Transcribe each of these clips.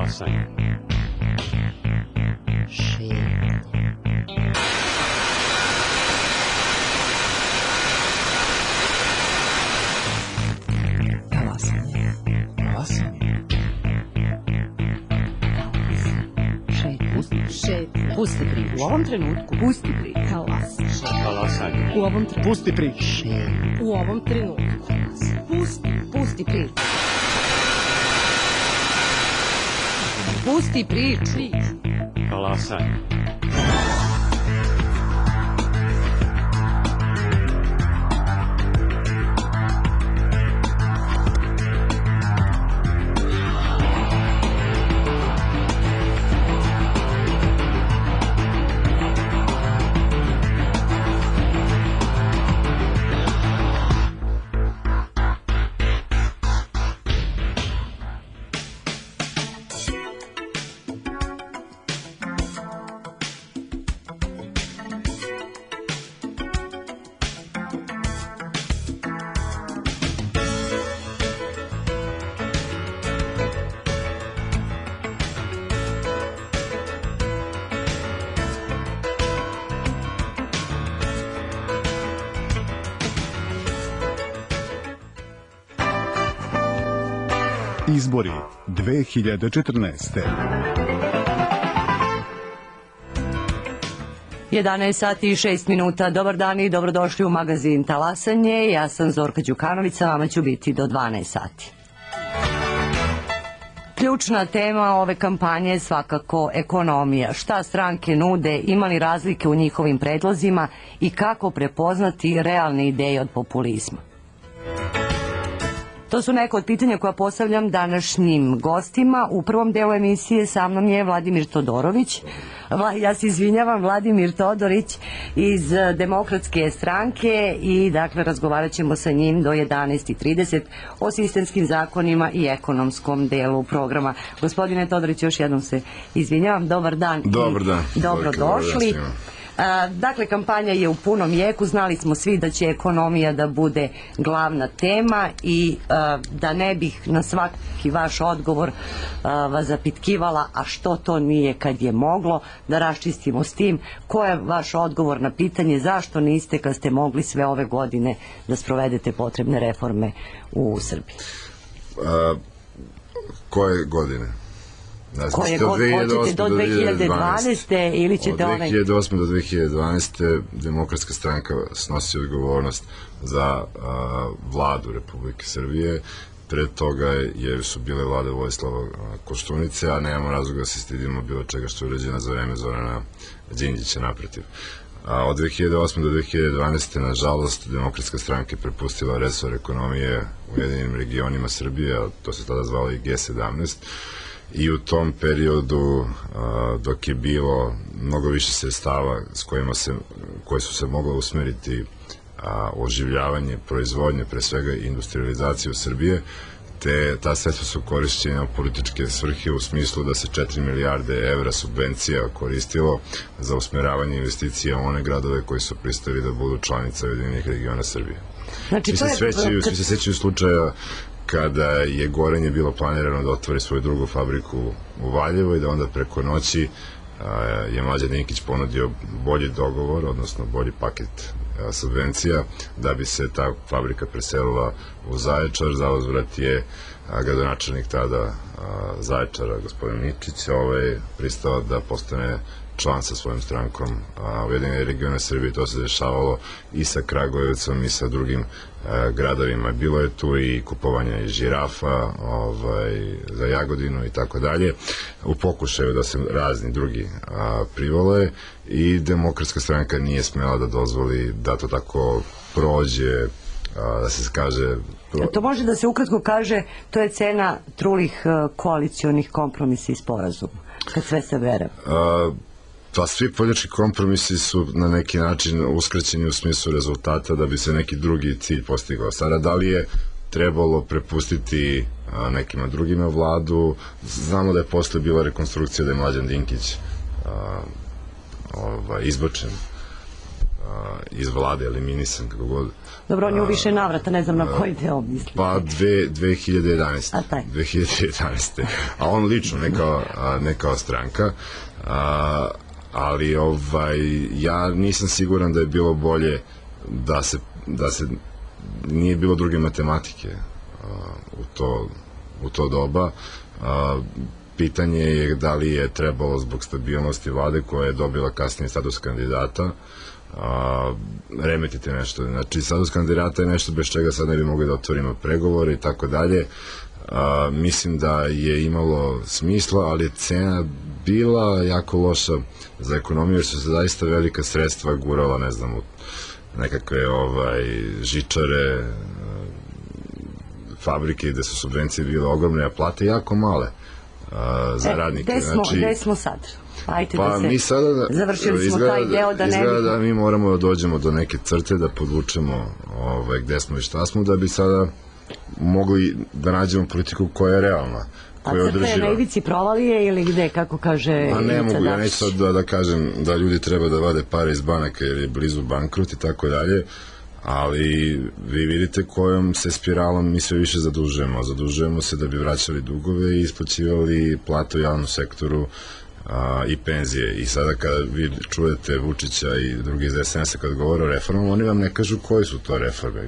Talasanje. Šetnja. Talasanje. Talasanje. Šetnja. Pusti priču. U ovom trenutku. Pusti priču. Talasanje. U ovom trenutku. Pusti priču. Šetnja. U ovom trenutku. Pusti priču. Pusti priču. Talasanje. Izbori 2014. 11 sati i 6 minuta. Dobar dan i dobrodošli u magazin Talasanje. Ja sam Zorka Đukanović, sa vama ću biti do 12 sati. Ključna tema ove kampanje je svakako ekonomija. Šta stranke nude, ima li razlike u njihovim predlozima i kako prepoznati realne ideje od populizma. To su neka od pitanja koja postavljam današnjim gostima. U prvom delu emisije sa mnom je Vladimir Todorović. Ja se izvinjavam, Vladimir Todorić iz Demokratske stranke i dakle razgovarat ćemo sa njim do 11:30 o sistemskim zakonima i ekonomskom delu programa. Gospodine Todorić, još jednom se izvinjavam. Dobar dan. Dobar dan. Dobrodošli. Dakle, kampanja je u punom jeku, znali smo svi da će ekonomija da bude glavna tema i da ne bih na svaki vaš odgovor vas zapitkivala, a što to nije kad je moglo, da raščistimo s tim. Ko je vaš odgovor na pitanje zašto niste kad ste mogli sve ove godine da sprovedete potrebne reforme u Srbiji? Koje godine? Koje god hoćete, do 2012. ili ćete od 2008. do 2012. Demokratska stranka snosi odgovornost za vladu Republike Srbije. Pre toga su bile vlade Vojislava Koštunice, a nemamo razloga da se stidimo bilo čega što je urađeno za vreme Zorana Đinđića, naprotiv. Od 2008. do 2012. nažalost Demokratska stranka je prepustila resor ekonomije Ujedinjenim regionima Srbije, a to se tada zvalo i G17, i u tom periodu dok je bilo mnogo više sredstava koje su se mogle usmeriti oživljavanje proizvodnje, pre svega industrializaciju Srbije, ta sredstva su korišćena u političke svrhe u smislu da se 4 milijarde evra subvencija koristilo za usmeravanje investicija u one gradove koji su pristali da budu članica Ujedinjenih regiona Srbije. Svi se sećaju slučaja kada je Gorenje bilo planirano da otvori svoju drugu fabriku u Valjevu i da onda preko noći je Mlađan Dinkić ponudio bolji dogovor, odnosno bolji paket subvencija da bi se ta fabrika preselila u Zaječar. Za uzvrat je gradonačelnik tada Zaječara, gospodin Ničić, pristao da postane član sa svojom strankom Ujedinjene regione Srbije. To se dešavalo i sa Kragujevcom i sa drugim gradovima. Bilo je tu i kupovanja i žirafa za Jagodinu i tako dalje, u pokušaju da se razni drugi privole, i Demokratska stranka nije smela da dozvoli da to tako prođe, da se kaže... To može da se ukratko kaže, to je cena trulih koalicionih kompromisa i sporazuma, kad sve se bere. Pa svi politički kompromisi su na neki način uskraćeni u smislu rezultata da bi se neki drugi cilj postigao. Sada, da li je trebalo prepustiti nekima drugima vladu? Znamo da je posle bila rekonstrukcija, da je Mlađan Dinkić izbačen iz vlade eliminisan, kako god. Dobro, on je u više navrata, ne znam na koji deo misli. Pa 2011. A taj. 2011. A on lično, ne kao stranka. Ali ja nisam siguran da je bilo bolje da se nije bilo druge matematike u to doba. Pitanje je da li je trebalo zbog stabilnosti vlade koja je dobila kasnije status kandidata remetiti nešto. Znači, status kandidata je nešto bez čega sad ne bi mogli da otvorimo pregovore i tako dalje. Mislim da je imalo smisla, ali je cena bila jako loša za ekonomiju, jer su se zaista velika sredstva gurala, ne znam, u nekakve žičare, fabrike gde su subvencije bile ogromne, a plate jako male za radnike. Gde smo sad? Ajte Pa mi sada završili smo taj deo da ne izgleda da mi moramo da dođemo do neke crte, da podvučemo gde smo i šta smo, da bi sada mogli da nađemo politiku koja je realna, koja je održiva. A crta je na ivici provalije ili gde, kako kaže Ivica Dačić? Ne mogu, ja neću sad da kažem da ljudi treba da vade pare iz banaka jer je blizu bankrot i tako dalje, ali vi vidite kojom se spiralom mi sve više zadužujemo. Zadužujemo se da bi vraćali dugove i isplaćivali plate u javnom sektoru i penzije. I sada kada vi čujete Vučića i drugi iz SNS-a kad govore o reformama, oni vam ne kažu koje su to reforme.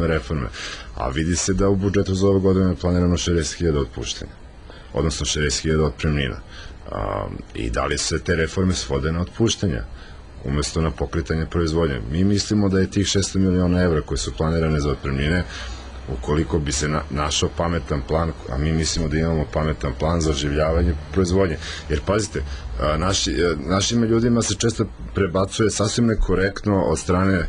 Reforme. A vidi se da u budžetu za ove godine je planirano 60.000 otpuštenja, odnosno 60.000 otpremnina. I da li se te reforme svode na otpuštenja umesto na pokretanje proizvodnje? Mi mislimo da je tih 600 miliona evra koje su planirane za otpremnine, ukoliko bi se našao pametan plan, a mi mislimo da imamo pametan plan za oživljavanje proizvodnje. Jer pazite, našim ljudima se često prebacuje sasvim nekorektno od strane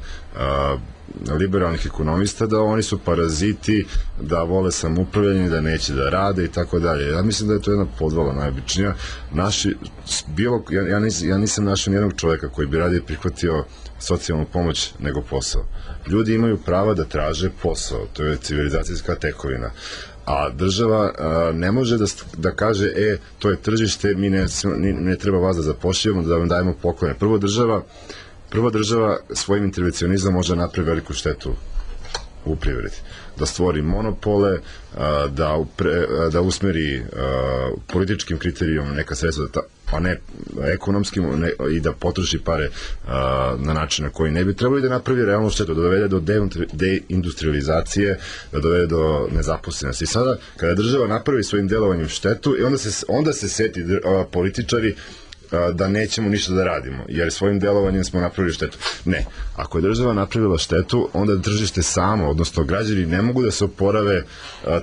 liberalnih ekonomista da oni su paraziti, da vole samoupravljanje, da neće da rade i tako dalje. Ja mislim da je to jedna podvala najobičnija. Ja nisam našao nijednog čoveka koji bi radije prihvatio socijalnu pomoć nego posao. Ljudi imaju prava da traže posao, to je civilizacijska tekovina. A država ne može da kaže, to je tržište, mi ne treba vas da zapošljavamo, da vam dajemo poklone. Prvo država svojim intervencionizmom može napraviti veliku štetu u privredi. Da stvori monopole, da usmeri političkim kriterijom neka sredstva, a ne ekonomskim, i da potroši pare na način na koji ne bi trebalo, i da napravi realnu štetu, da dovede do deindustrializacije, da dovede do nezaposlenosti. I sada, kada država napravi svojim delovanjem štetu, onda se seti političari da nećemo ništa da radimo, jer svojim delovanjem smo napravili štetu. Ne, ako je država napravila štetu, onda tržište samo, odnosno građani ne mogu da se oporave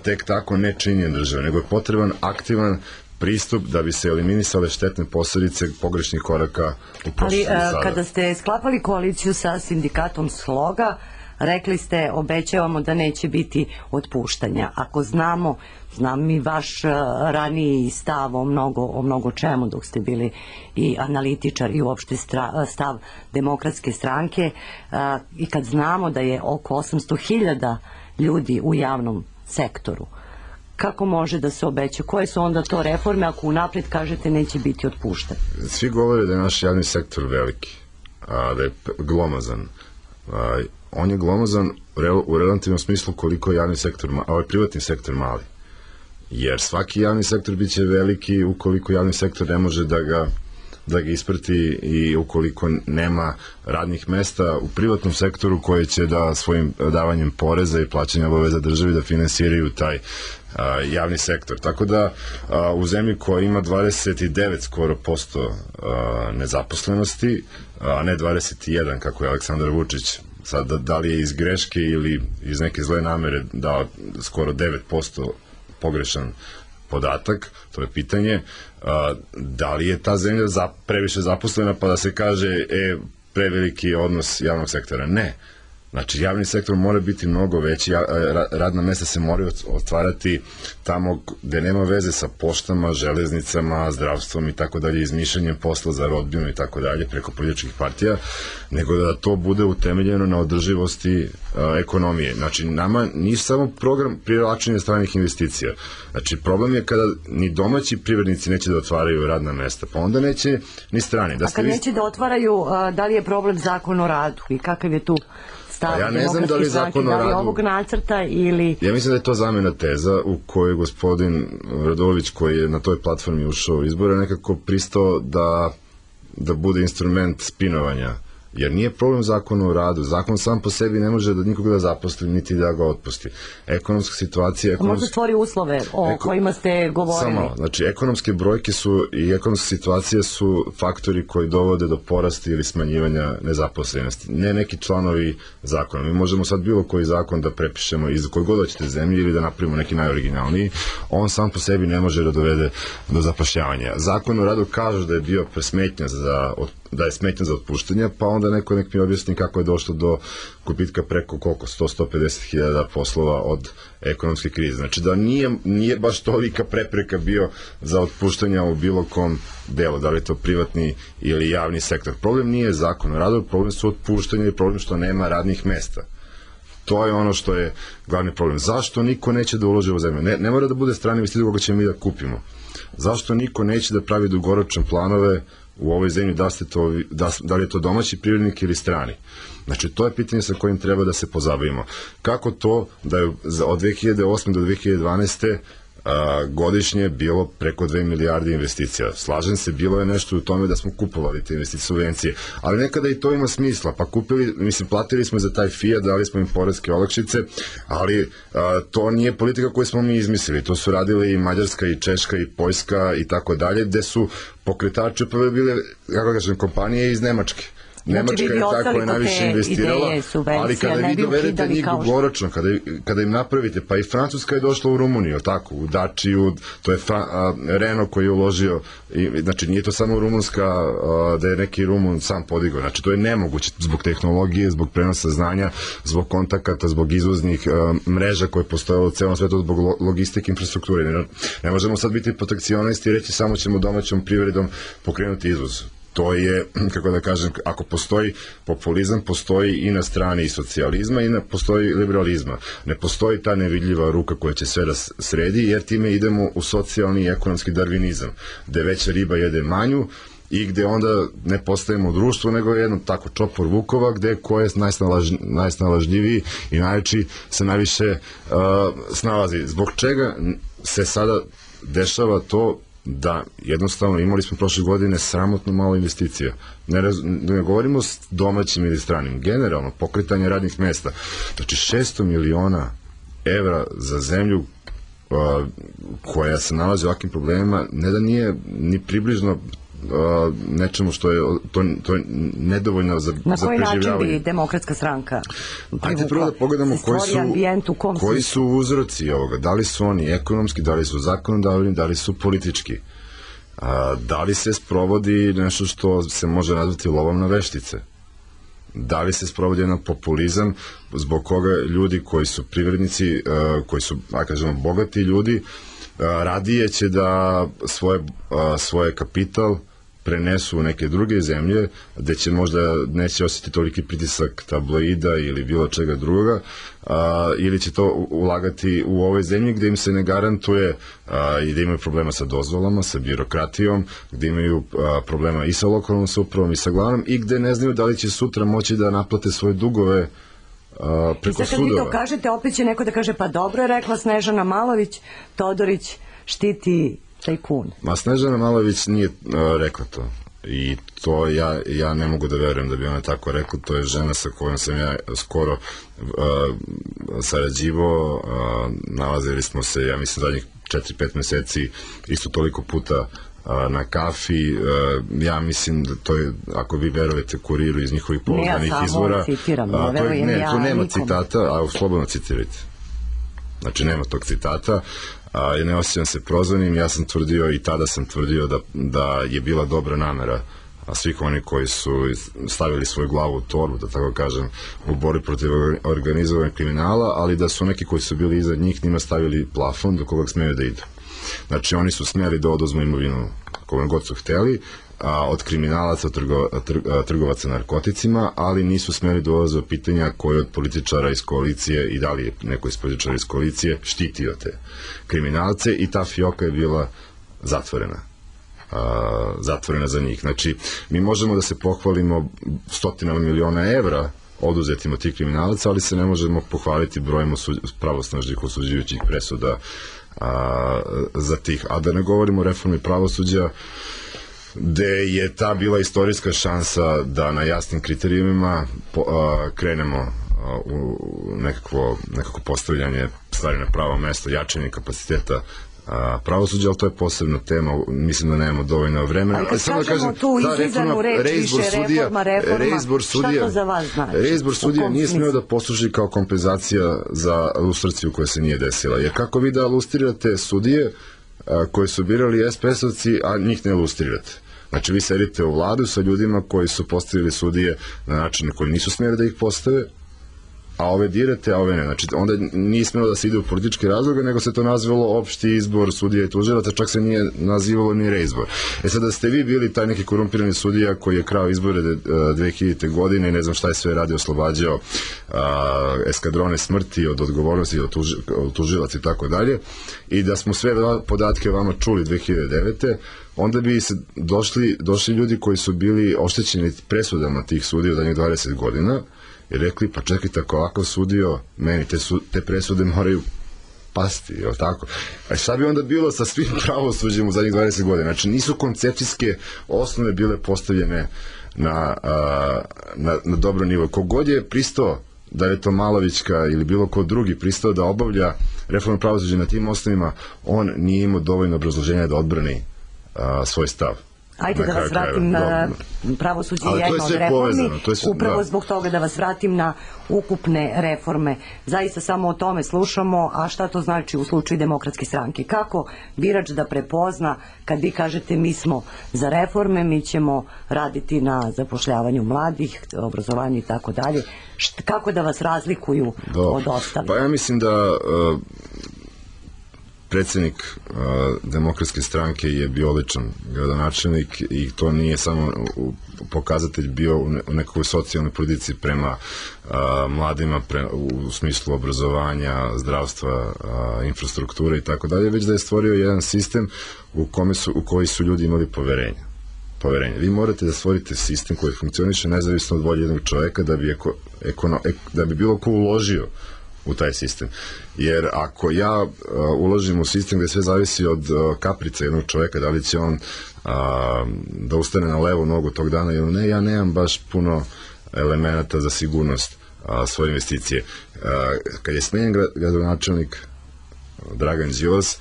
tek tako nečinjenjem države, nego je potreban aktivan pristup da bi se eliminisale štetne posledice pogrešnih koraka u prošlosti sada. Ali kada ste sklapali koaliciju sa sindikatom Sloga, rekli ste, obećavamo da neće biti otpuštanja. Ako znam i vaš raniji stav o mnogo čemu dok ste bili i analitičar i uopšte stav Demokratske stranke, i kad znamo da je oko 800.000 ljudi u javnom sektoru, kako može da se obeća? Koje su onda to reforme ako unapred kažete neće biti otpušten? Svi govore da je naš javni sektor veliki, da je glomazan. On je glomazan u relativnom smislu koliko je javni sektor, privatni sektor mali. Jer svaki javni sektor biće veliki ukoliko javni sektor ne može da ga isprati i ukoliko nema radnih mesta u privatnom sektoru koji će da svojim davanjem poreza i plaćanja obaveza državi da finansiraju taj javni sektor. Tako da u zemlji koja ima 29 skoro posto nezaposlenosti, a ne 21 kako je Aleksandar Vučić, sad da li je iz greške ili iz neke zle namere dao skoro 9% pogrešan podatak, to je pitanje, da li je ta zemlja previše zaposlena pa da se kaže preveliki odnos javnog sektora? Ne. Znači, javni sektor mora biti mnogo veći, radna mesta se moraju otvarati tamo gde nema veze sa poštama, železnicama, zdravstvom i tako dalje, izmišljanjem posla za rodbinu i tako dalje preko političkih partija, nego da to bude utemeljeno na održivosti ekonomije. Znači, nama nije samo program privlačenja stranih investicija. Znači, problem je kada ni domaći privrednici neće da otvaraju radna mesta, pa onda neće ni strani. A kad neće da otvaraju, da li je problem zakon o radu i kakav je tu stav ja ne znam da li zakon o radu... Da li ovog nacrta ili... Ja mislim da je to zamena teza u kojoj gospodin Radulović, koji je na toj platformi ušao u izbore, nekako pristao da bude instrument spinovanja. Jer nije problem zakon o radu. Zakon sam po sebi ne može da nikoga da zaposli, niti da ga otpusti. Ekonomska situacija... Možda stvori uslove o kojima ste govorili. Samo, znači, ekonomske brojke su i ekonomska situacija su faktori koji dovode do porasta ili smanjivanja nezaposlenosti. Ne neki članovi zakona. Mi možemo sad bilo koji zakon da prepišemo iz koje god hoćete zemlje ili da napravimo neki najoriginalniji. On sam po sebi ne može da dovede do zapošljavanja. Zakon o radu kaže da je bio presmetnja da je smetnja za otpuštanje, pa onda neko nek mi objasni kako je došlo do gubitka preko koliko, 100-150 hiljada poslova od ekonomske krize. Znači da nije baš tolika prepreka bio za otpuštanja u bilo kom delu, da li je to privatni ili javni sektor. Problem nije zakon o radu, problem su otpuštanja i problem što nema radnih mesta. To je ono što je glavni problem. Zašto niko neće da uloži u zemlju? Ne mora da bude strani investitor koga ćemo mi da kupimo. Zašto niko neće da pravi dugoročne planove u ovoj zemlji, da li je to domaći privrednik ili strani? Znači, to je pitanje sa kojim treba da se pozabavimo. Kako to da je od 2008. do 2012. Godišnje bilo preko 2 milijarde investicija. Slažem se, bilo je nešto u tome da smo kupovali te investicije, subvencije, ali nekada i to ima smisla, pa platili smo za taj Fiat, dali smo im poreske olakšice, ali to nije politika koju smo mi izmislili, to su radili i Mađarska i Češka i Poljska i tako dalje, gde su pokretači prve bile, kako kažem, kompanije iz Nemačke. Nemačka je tako je najviše investirala, ali kada vi dovedete njih dugoročno, kada im napravite, pa i Francuska je došla u Rumuniju, tako, u Dačiju, to je Renault koji je uložio, znači nije to samo rumunska, da je neki Rumun sam podigao, znači to je nemoguće zbog tehnologije, zbog prenosa znanja, zbog kontakata, zbog izvoznih mreža koje postoje u celom svetu, zbog logistike, infrastrukture. Ne možemo sad biti protekcionisti i reći samo ćemo domaćom privredom pokrenuti izvoz. To je, kako da kažem, ako postoji populizam, postoji i na strani socijalizma i postoji liberalizma. Ne postoji ta nevidljiva ruka koja će sve da sredi, jer time idemo u socijalni i ekonomski darvinizam, gde veća riba jede manju i gde onda ne postajemo društvo, nego jedno tako čopor vukova, gde ko je najsnalažljiviji i najveći se najviše snalazi. Zbog čega se sada dešava to da jednostavno imali smo prošle godine sramotno malo investicija. Ne govorimo s domaćim ili stranim, generalno pokretanje radnih mesta. Znači 600 miliona evra za zemlju koja se nalazi u ovakvim problemima, ne da nije ni približno nečemu što je to je nedovoljno za preživljavanje. Na koji način bi Demokratska stranka Ajde prvo da pogledamo koji su uzroci ovoga, da li su oni ekonomski, da li su zakonodavni, da li su politički, da li se sprovodi nešto što se može nazvati lovom na veštice, da li se sprovodi jedan populizam zbog koga ljudi koji su privrednici, koji su, kažemo, bogati ljudi, radije će da svoje kapital prenesu u neke druge zemlje, gde će možda neće osjetiti toliki pritisak tabloida ili bilo čega druga, ili će to ulagati u ove zemlje gde im se ne garantuje i da imaju problema sa dozvolama, sa birokratijom, gde imaju problema i sa lokalnom samoupravom i sa glavnom i gde ne znaju da li će sutra moći da naplate svoje dugove preko sudova. I sad kad vi to kažete, opet će neko da kaže, pa dobro je rekla Snežana Malović, Todorić štiti tajkun. Ma Snežana Malović nije rekla to. I to ja ne mogu da verujem da bi ona tako rekla. To je žena sa kojom sam ja skoro sarađivao. Nalazili smo se, ja mislim, zadnjih 4-5 meseci isto toliko puta na kafi. Ja mislim da to je, ako vi verujete Kuriru iz njihovih pouzdanih izvora, ja samo citiram, ne verujem ja tu nema citata, a slobodno citirajte. Znači nema tog citata. Ja ne osjećam se prozvanim, ja sam tvrdio i tada sam tvrdio da je bila dobra namera svih oni koji su stavili svoju glavu u torbu, da tako kažem, u borbi protiv organizovanog kriminala, ali da su neki koji su bili iza njih njima stavili plafon do koga smeju da idu. Znači, oni su smeli da oduzmu imovinu koga god su hteli, od kriminalaca, trgovaca narkoticima, ali nisu smeli da ulaze u pitanja koje od političara iz koalicije i da li je neko iz političara iz koalicije štitio te kriminalce i ta fioka je bila zatvorena za njih. Znači, mi možemo da se pohvalimo stotinama miliona evra oduzetim od tih kriminalaca, ali se ne možemo pohvaliti brojem pravosnažnih osuđujućih presuda za tih. A da ne govorimo o reformi pravosuđa, gde je ta bila istorijska šansa da na jasnim kriterijumima krenemo u nekako postavljanje stvari na pravo mesto, jačanje kapaciteta pravosuđa, ali to je posebna tema, mislim da nemamo dovoljno vremena. Ali kad kažemo tu izizanu reč, više reforma, šta to za vas znači? Reizbor sudija nije smeo da posluži kao kompenzacija za lustraciju koja se nije desila, jer kako vi da lustrirate sudije koje su birali SPS-ovci, a njih ne lustrirate? Znači, vi sedite u vladu sa ljudima koji su postavili sudije na način koji nisu smjeli da ih postave, a ove dirate, a ove ne. Znači, onda nije smjelo da se ide u političke razloge, nego se to nazvalo opšti izbor sudija i tužilaca, čak se nije nazivalo ni reizbor. Sad, da ste vi bili taj neki korumpirani sudija koji je krao izbore 2000. godine i ne znam šta je sve radio, oslobađao eskadrone smrti od odgovornosti, od tužilaca i tako dalje, i da smo sve podatke vama čuli 2009. onda bi se došli ljudi koji su bili oštećeni presudama tih sudija od zadnjih 20 godina i rekli, pa čekajte, ako ovakav sudio, meni te presude moraju pasti, je li tako? A šta bi onda bilo sa svim pravosuđem u zadnjih 20 godina? Znači, nisu koncepcijske osnove bile postavljene na dobro nivo. Kogod je pristao, da je to Malovićka ili bilo ko drugi pristao da obavlja reformu pravosuđa na tim osnovima, on nije imao dovoljno obrazloženja da odbrani svoj stav. Ajde da vas vratim na pravosuđe jedno od reformi, upravo zbog toga da vas vratim na ukupne reforme. Zaista samo o tome slušamo, a šta to znači u slučaju Demokratske stranke? Kako birač da prepozna kad vi kažete mi smo za reforme, mi ćemo raditi na zapošljavanju mladih, obrazovanju i tako dalje. Kako da vas razlikuju od ostalih? Pa ja mislim da predsjednik Demokratske stranke je bio odličan gradonačelnik i to nije samo pokazatelj bio u nekakvoj socijalnoj politici prema mladima u smislu obrazovanja, zdravstva, infrastrukture i tako dalje, već da je stvorio jedan sistem u koji su ljudi imali poverenje. Vi morate da stvorite sistem koji funkcioniše nezavisno od volje jednog čoveka da bi bilo ko uložio u taj sistem. Jer ako ja uložim u sistem gde sve zavisi od kaprica jednog čoveka, da li će on da ustane na levu nogu tog dana ili ne, ja nemam baš puno elemenata za sigurnost svoje investicije. Kad je smenjen gradonačelnik Dragan Đilas,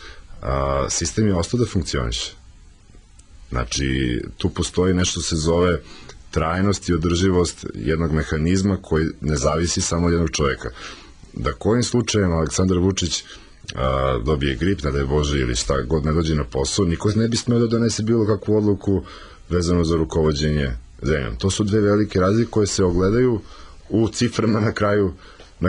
sistem je ostao da funkcioniše. Znači, tu postoji nešto se zove trajnost i održivost jednog mehanizma koji ne zavisi samo od jednog čoveka. Da kojim slučajem Aleksandar Vučić dobije grip, ne daj Bože, ili šta god ne dođe na posao, niko ne bi smeo da donese bilo kakvu odluku vezano za rukovođenje zemljom. To su dve velike razlike koje se ogledaju u ciframa na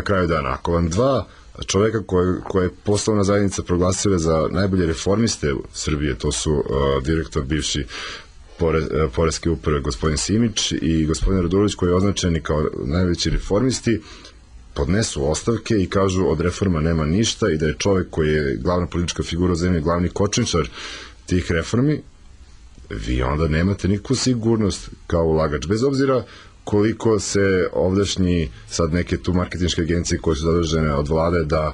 kraju dana. Ako vam dva čoveka koje je poslovna zajednica proglasila za najbolje reformiste Srbije, to su direktor bivši Poreske uprave gospodin Simić i gospodin Radulović, koji je označeni kao najveći reformisti, podnesu ostavke i kažu od reforma nema ništa i da je čovek koji je glavna politička figura u zemlji, glavni kočničar tih reformi, vi onda nemate nikakvu sigurnost kao ulagač. Bez obzira koliko se ovdašnji sad neke tu marketinške agencije koje su zadužene od vlade da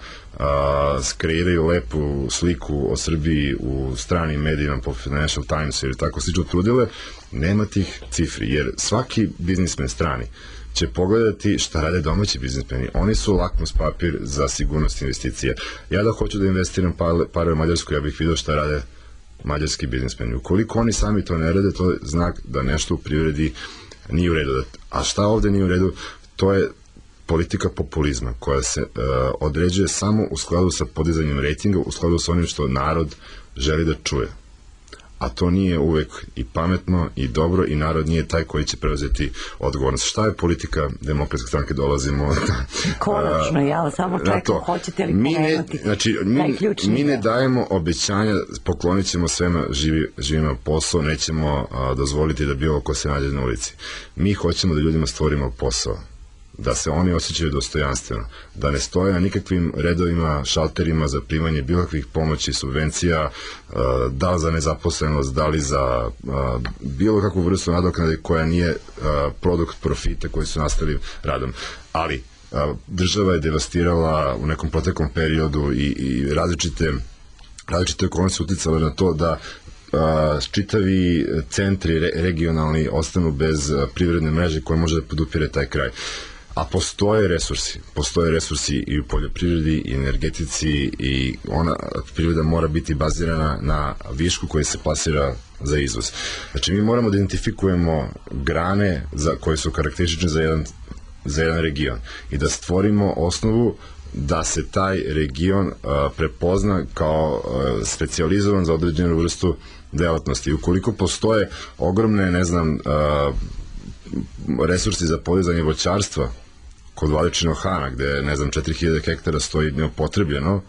skreiraju lepu sliku o Srbiji u stranim medijima po Financial Times ili tako slično trudile, nema tih cifri, jer svaki biznismen strani će pogledati šta rade domaći biznismeni. Oni su lakmus papir za sigurnost investicija. Ja da hoću da investiram pare u Mađarsku, ja bih vidio šta rade mađarski biznismeni. Ukoliko oni sami to ne rade, to je znak da nešto u privredi nije u redu. A šta ovde nije u redu? To je politika populizma koja se određuje samo u skladu sa podizanjem rejtinga, u skladu sa onim što narod želi da čuje. a to nije uvek i pametno i dobro i narod nije taj koji će preuzeti odgovornost. Šta je politika Demokratske stranke? Dolazimo konačno, ja samo čekam, hoćete li pomenuti mi ne dajemo obećanja, poklonit ćemo svema živima posao, nećemo dozvoliti da bilo ko se nađe na ulici. Mi hoćemo da ljudima stvorimo posao, da se oni osjećaju dostojanstveno, da ne stoje na nikakvim redovima, šalterima za primanje bilo kakvih pomoći, subvencija, da li za nezaposlenost, da li za bilo kakvu vrstu nadoknade koja nije produkt profita koji su nastali radom. Ali država je devastirala u nekom proteklom periodu i različite okolnosti uticale na to da čitavi centri regionalni ostanu bez privredne mreže koja može da podupire taj kraj. A postoje resursi i u poljoprivredi i energetici i ona privreda mora biti bazirana na višku koji se plasira za izvoz. Znači mi moramo da identifikujemo grane koje su karakteristične za jedan region i da stvorimo osnovu da se taj region prepozna kao specijalizovan za određenu vrstu delatnosti. Ukoliko postoje ogromne, resursi za podizanje voćarstva kod Vladičinog Hana, gde, 4000 hektara stoji neupotrebljeno,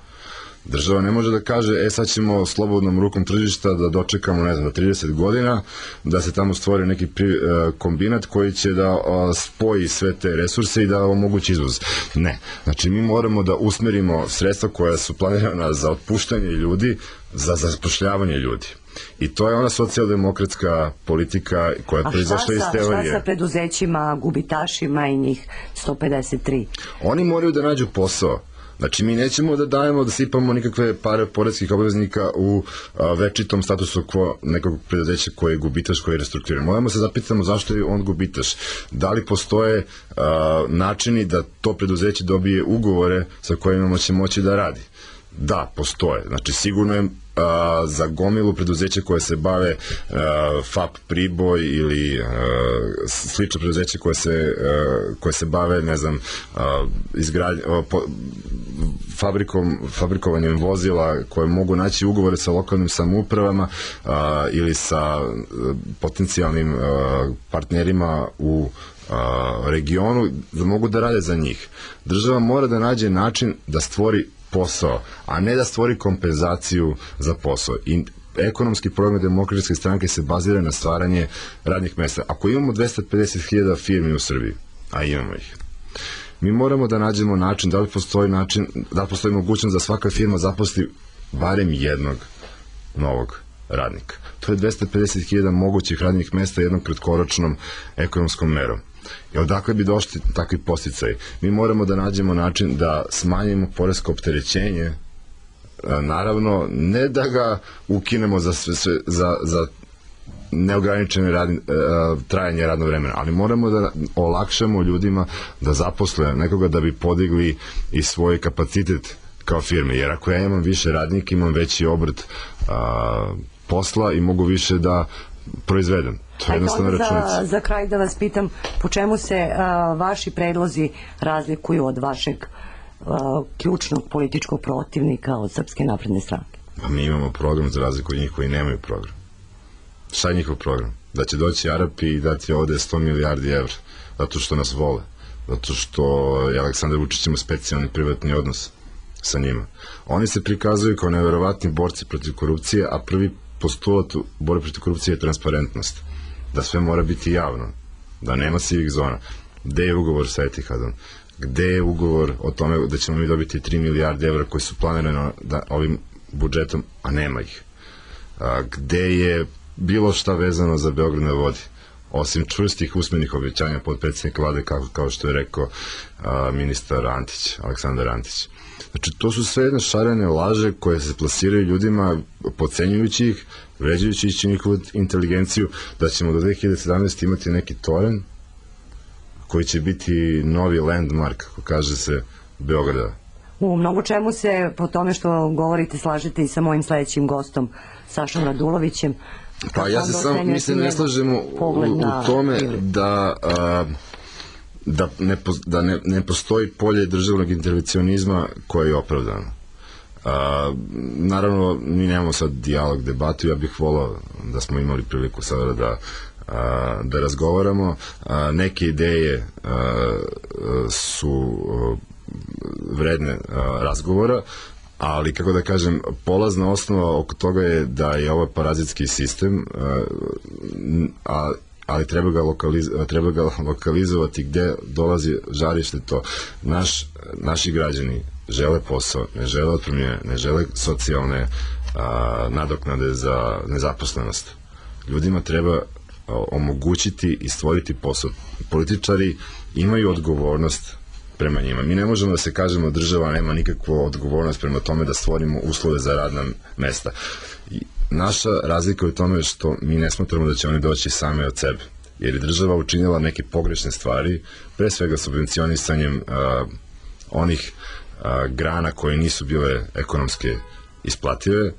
država ne može da kaže, sad ćemo slobodnom rukom tržišta da dočekamo, 30 godina, da se tamo stvori neki kombinat koji će da spoji sve te resurse i da omogući izvoz. Ne. Znači, mi moramo da usmerimo sredstva koja su planirana za otpuštanje ljudi, za zapošljavanje ljudi. I to je ona socijaldemokratska politika koja je proizašla iz teorije. A šta sa preduzećima, gubitašima i njih 153? Oni moraju da nađu posao. Znači, mi nećemo da dajemo, da sipamo nikakve pare poreskih obveznika u večitom statusu quo nekog preduzeća koji je gubitaš, koji je restrukturiran. Moramo se zapitamo zašto je on gubitaš. Da li postoje načini da to preduzeće dobije ugovore sa kojima će moći da radi? Da, postoje. Znači, sigurno je za gomilu preduzeća koje se bave FAP Priboj ili slično preduzeće koje se bave, fabrikovanjem vozila, koje mogu naći ugovore sa lokalnim samoupravama ili sa potencijalnim partnerima u regionu, da mogu da rade za njih. Država mora da nađe način da stvori posao, a ne da stvori kompenzaciju za posao. I ekonomski program Demokratske stranke se bazira na stvaranje radnih mesta. Ako imamo 250.000 firmi u Srbiji, a imamo ih, mi moramo da nađemo način, da li postoji mogućnost da svaka firma zaposli barem jednog novog radnika. To je 250.000 mogućih radnih mesta jednom kratkoročnom ekonomskom merom. I odakle bi došli takvi podsticaj? Mi moramo da nađemo način da smanjimo poresko opterećenje, naravno, ne da ga ukinemo za neograničene trajanje radnog vremena, ali moramo da olakšamo ljudima da zaposle nekoga da bi podigli i svoj kapacitet kao firme, jer ako ja imam više radnika, imam veći obrt posla i mogu više da proizvedem. To je jednostavno računica. Za kraj da vas pitam, po čemu se vaši predlozi razlikuju od vašeg ključnog političkog protivnika od Srpske napredne stranke? Mi imamo program za razliku od njih koji nemaju program. Šta je njihov program? Da će doći Arapi i dati ovde 100 milijardi evra, zato što nas vole, zato što je Aleksandar Vučić ima specijalni privatni odnos sa njima. Oni se prikazuju kao neverovatni borci protiv korupcije, a prvi postulat u borbi protiv korupcije je transparentnost. Da sve mora biti javno, da nema sivih zona. Gde je ugovor sa Etihadom? Gde je ugovor o tome da ćemo mi dobiti 3 milijarde evra koji su planirani ovim budžetom, a nema ih? Gde je bilo šta vezano za Beograd na vodi? Osim čvrstih usmenih obećanja podpredsednika vlade, kao što je rekao ministar Antić, Aleksandar Antić. Znači, to su sve jedne šarene laže koje se plasiraju ljudima, podcenjujući ih, vređajući njihovu inteligenciju, da ćemo do 2017. imati neki toren koji će biti novi landmark, kako kaže se, Beograda. U mnogo čemu se po tome što govorite slažete i sa mojim sledećim gostom, Sašom Radulovićem. Pa ja se samo, mislim, ne slažemo u tome da ne postoji polje državnog intervencionizma koje je opravdano. Naravno, mi nemamo sad dijalog, debatu, ja bih volao da smo imali priliku sada da razgovaramo. Neke ideje su vredne razgovora, ali, kako da kažem, polazna osnova oko toga je da je ovo parazitski sistem, ali treba ga lokalizovati gde dolazi žarište to. Naši građani žele posao, ne žele otpremnine, ne žele socijalne nadoknade za nezaposlenost. Ljudima treba omogućiti i stvoriti posao. Političari imaju odgovornost prema njima. Mi ne možemo da se kažemo država nema nikakvu odgovornost prema tome da stvorimo uslove za radna mesta. Naša razlika je u tome što mi ne smatramo da će oni doći same od sebe, jer je država učinila neke pogrešne stvari, pre svega subvencionisanjem onih grana koje nisu bile ekonomske isplative,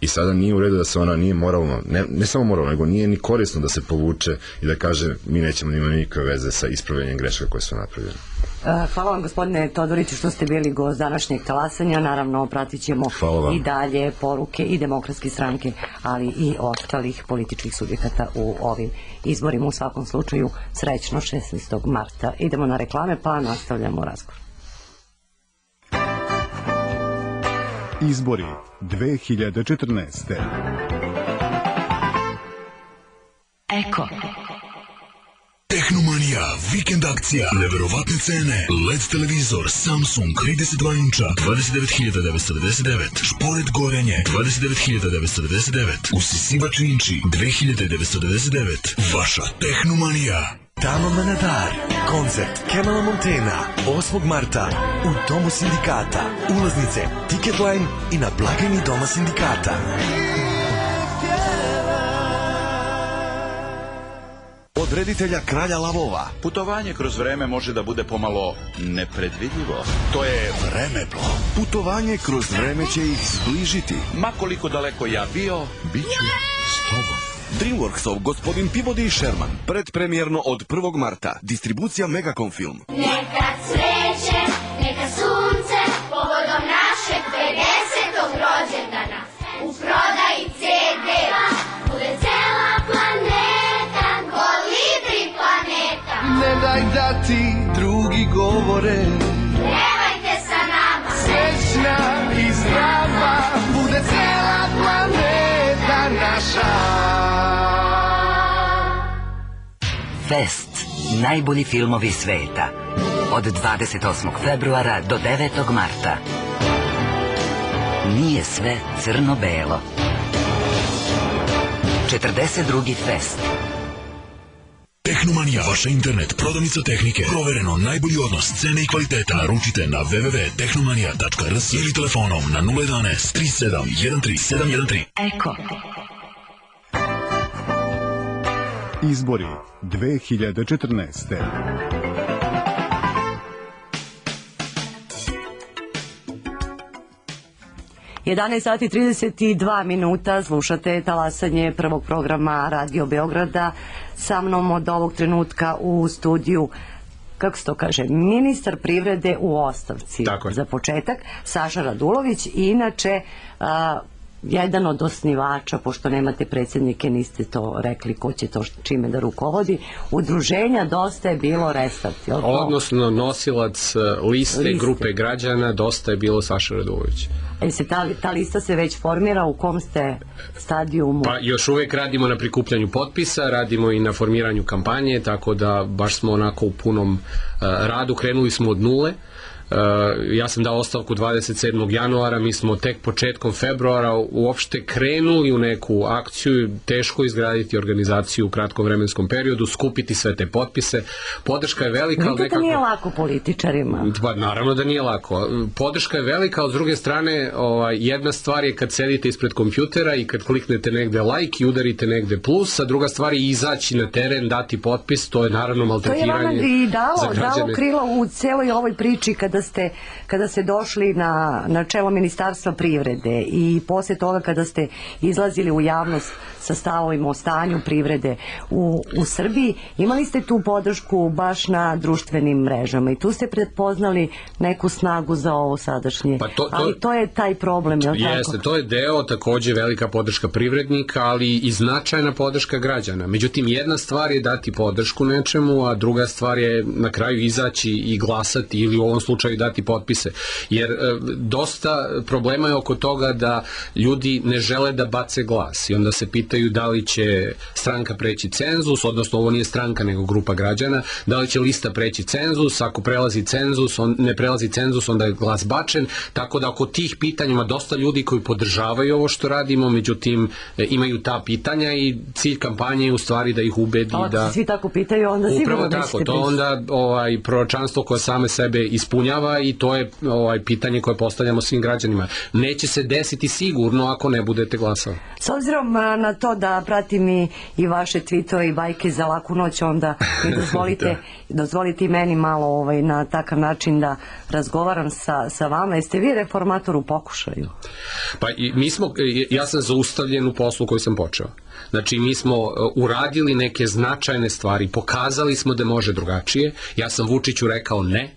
i sada nije u redu da se ona nije moralno, ne samo moralno, nego nije ni korisno da se povuče i da kaže mi nećemo imati nikakve veze sa ispravljanjem grešaka koje su napravljene. Hvala vam, gospodine Todoriću, što ste bili gost današnjeg talasanja. Naravno, pratit ćemo i dalje poruke i Demokratske stranke, ali i ostalih političkih subjekata u ovim izborima. U svakom slučaju, srećno 16. marta. Idemo na reklame, pa nastavljamo razgovor. Izbori 2014. Eko. Tehnomanija, vikend akcija, neverovatne cene, LED televizor Samsung 32 inča, 29.999, šporet gorenje, 29.999, usisivač inči, 2.999, vaša Tehnomanija. Tamo Manadar, koncert Kemala Montana, 8. marta, u Domu sindikata, ulaznice, Ticketline i na blagajni Doma sindikata. Od reditelja Kralja lavova. Putovanje kroz vreme može da bude pomalo nepredvidljivo. To je Vremeplov. Putovanje kroz vreme će ih zbližiti. Ma koliko daleko ja bio, bit ću s tobom. Dreamworksov Gospodin Pivodi i Sherman. Predpremjerno od 1. marta. Distribucija Megacom Film. Neka cveće, neka sunce, povodom našeg 50. rođendana. U prodaji CD-a bude cela planeta, Kolibri planeta. Ne daj da ti drugi govore, Pevajte sa nama. srećna i zdrava, bude cela planeta naša. Fest. Najbolji filmovi sveta. Od 28. februara do 9. marta. Nije sve crno-belo. 42. fest. Tehnomanija, vaša internet, prodavnica tehnike, provereno najbolji odnos cene i kvaliteta. Naručite na www.tehnomanija.rs ili telefonom na 011 37 13 713. Eko. Izbori 2014. sati 32 minuta, slušate talasanje prvog programa Radio Beograda. Sa mnom od ovog trenutka u studiju, kako se to kaže, ministar privrede u ostavci. Za početak, Saša Radulović, i inače jedan od osnivača, pošto nemate predsjednike, niste to rekli ko će to čime da rukovodi, udruženja Dosta je bilo Restart. Odnosno nosilac liste grupe građana Dosta je bilo Saša Radulović. Ta lista se već formira, u kom ste stadijumu? Pa još uvijek radimo na prikupljanju potpisa, radimo i na formiranju kampanje, tako da baš smo onako u punom radu, krenuli smo od nule. Ja sam dao ostavku 27. januara, mi smo tek početkom februara uopšte krenuli u neku akciju, teško izgraditi organizaciju u kratkom vremenskom periodu, skupiti sve te potpise. Podrška je velika. Vidite da nije lako političarima? Pa naravno da nije lako. Podrška je velika, ali s druge strane jedna stvar je kad sedite ispred kompjutera i kad kliknete negde like i udarite negde plus, a druga stvar je izaći na teren, dati potpis, to je naravno maltretiranje za građane. To je vama i dalo krilo u celoj ovoj priči kada kada ste došli na čelo Ministarstva privrede i poslije toga kada ste izlazili u javnost sa stavovima o stanju privrede u Srbiji, imali ste tu podršku baš na društvenim mrežama i tu ste prepoznali neku snagu za ovo sadašnje. Ali to je taj problem, je li tako? Jeste, to je deo, takođe velika podrška privrednika, ali i značajna podrška građana. Međutim, jedna stvar je dati podršku nečemu, a druga stvar je na kraju izaći i glasati ili u ovom slučaju dati potpise. Jer dosta problema je oko toga da ljudi ne žele da bace glas i onda se pitaju da li će stranka preći cenzus, odnosno ovo nije stranka nego grupa građana, da li će lista preći cenzus, ako prelazi cenzus, ne prelazi cenzus, onda je glas bačen, tako da oko tih pitanja ima dosta ljudi koji podržavaju ovo što radimo, međutim imaju ta pitanja i cilj kampanje je u stvari da ih ubedi da... Ako se svi tako pitaju, onda sigurno nećete tako, to onda proročanstvo koje same sebe ispunjava i to je pitanje koje postavljamo svim građanima. Neće se desiti sigurno ako ne budete glasali. S obzirom na to da pratim i vaše tweetove i bajke za laku noć, onda mi dozvolite i meni malo na takav način da razgovaram sa vama. Jeste vi reformator u pokušaju? Pa ja sam zaustavljen u poslu koji sam počeo. Znači, mi smo uradili neke značajne stvari, pokazali smo da može drugačije. Ja sam Vučiću rekao ne.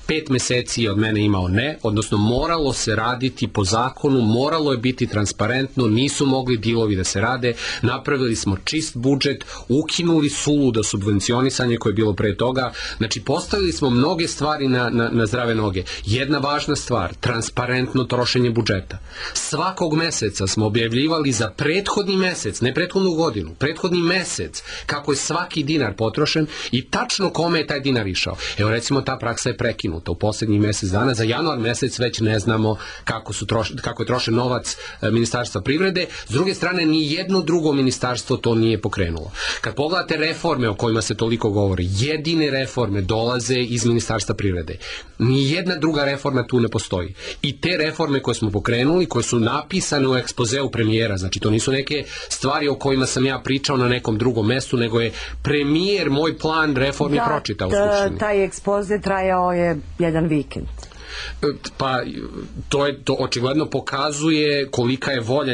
5 meseci je od mene imao ne, odnosno moralo se raditi po zakonu, moralo je biti transparentno, nisu mogli dilovi da se rade, napravili smo čist budžet, ukinuli suludo subvencionisanje koje je bilo pre toga, znači postavili smo mnoge stvari na zdrave noge. Jedna važna stvar, transparentno trošenje budžeta. Svakog meseca smo objavljivali za prethodni mesec, ne prethodnu godinu, prethodni mesec, kako je svaki dinar potrošen i tačno kome je taj dinar išao. Evo recimo ta praksa je prekinuta u poslednjih mesec dana, za januar mesec već ne znamo kako je trošen novac Ministarstva privrede. S druge strane, ni jedno drugo ministarstvo to nije pokrenulo. Kad pogledate reforme o kojima se toliko govori, jedine reforme dolaze iz Ministarstva privrede. Ni jedna druga reforma tu ne postoji. I te reforme koje smo pokrenuli, koje su napisane u ekspozeu premijera, znači to nisu neke stvari o kojima sam ja pričao na nekom drugom mestu, nego je premijer moj plan reformi pročitao u Skupštini. Taj ekspoze trajao je jedan vikend. Pa to očigledno pokazuje kolika je volja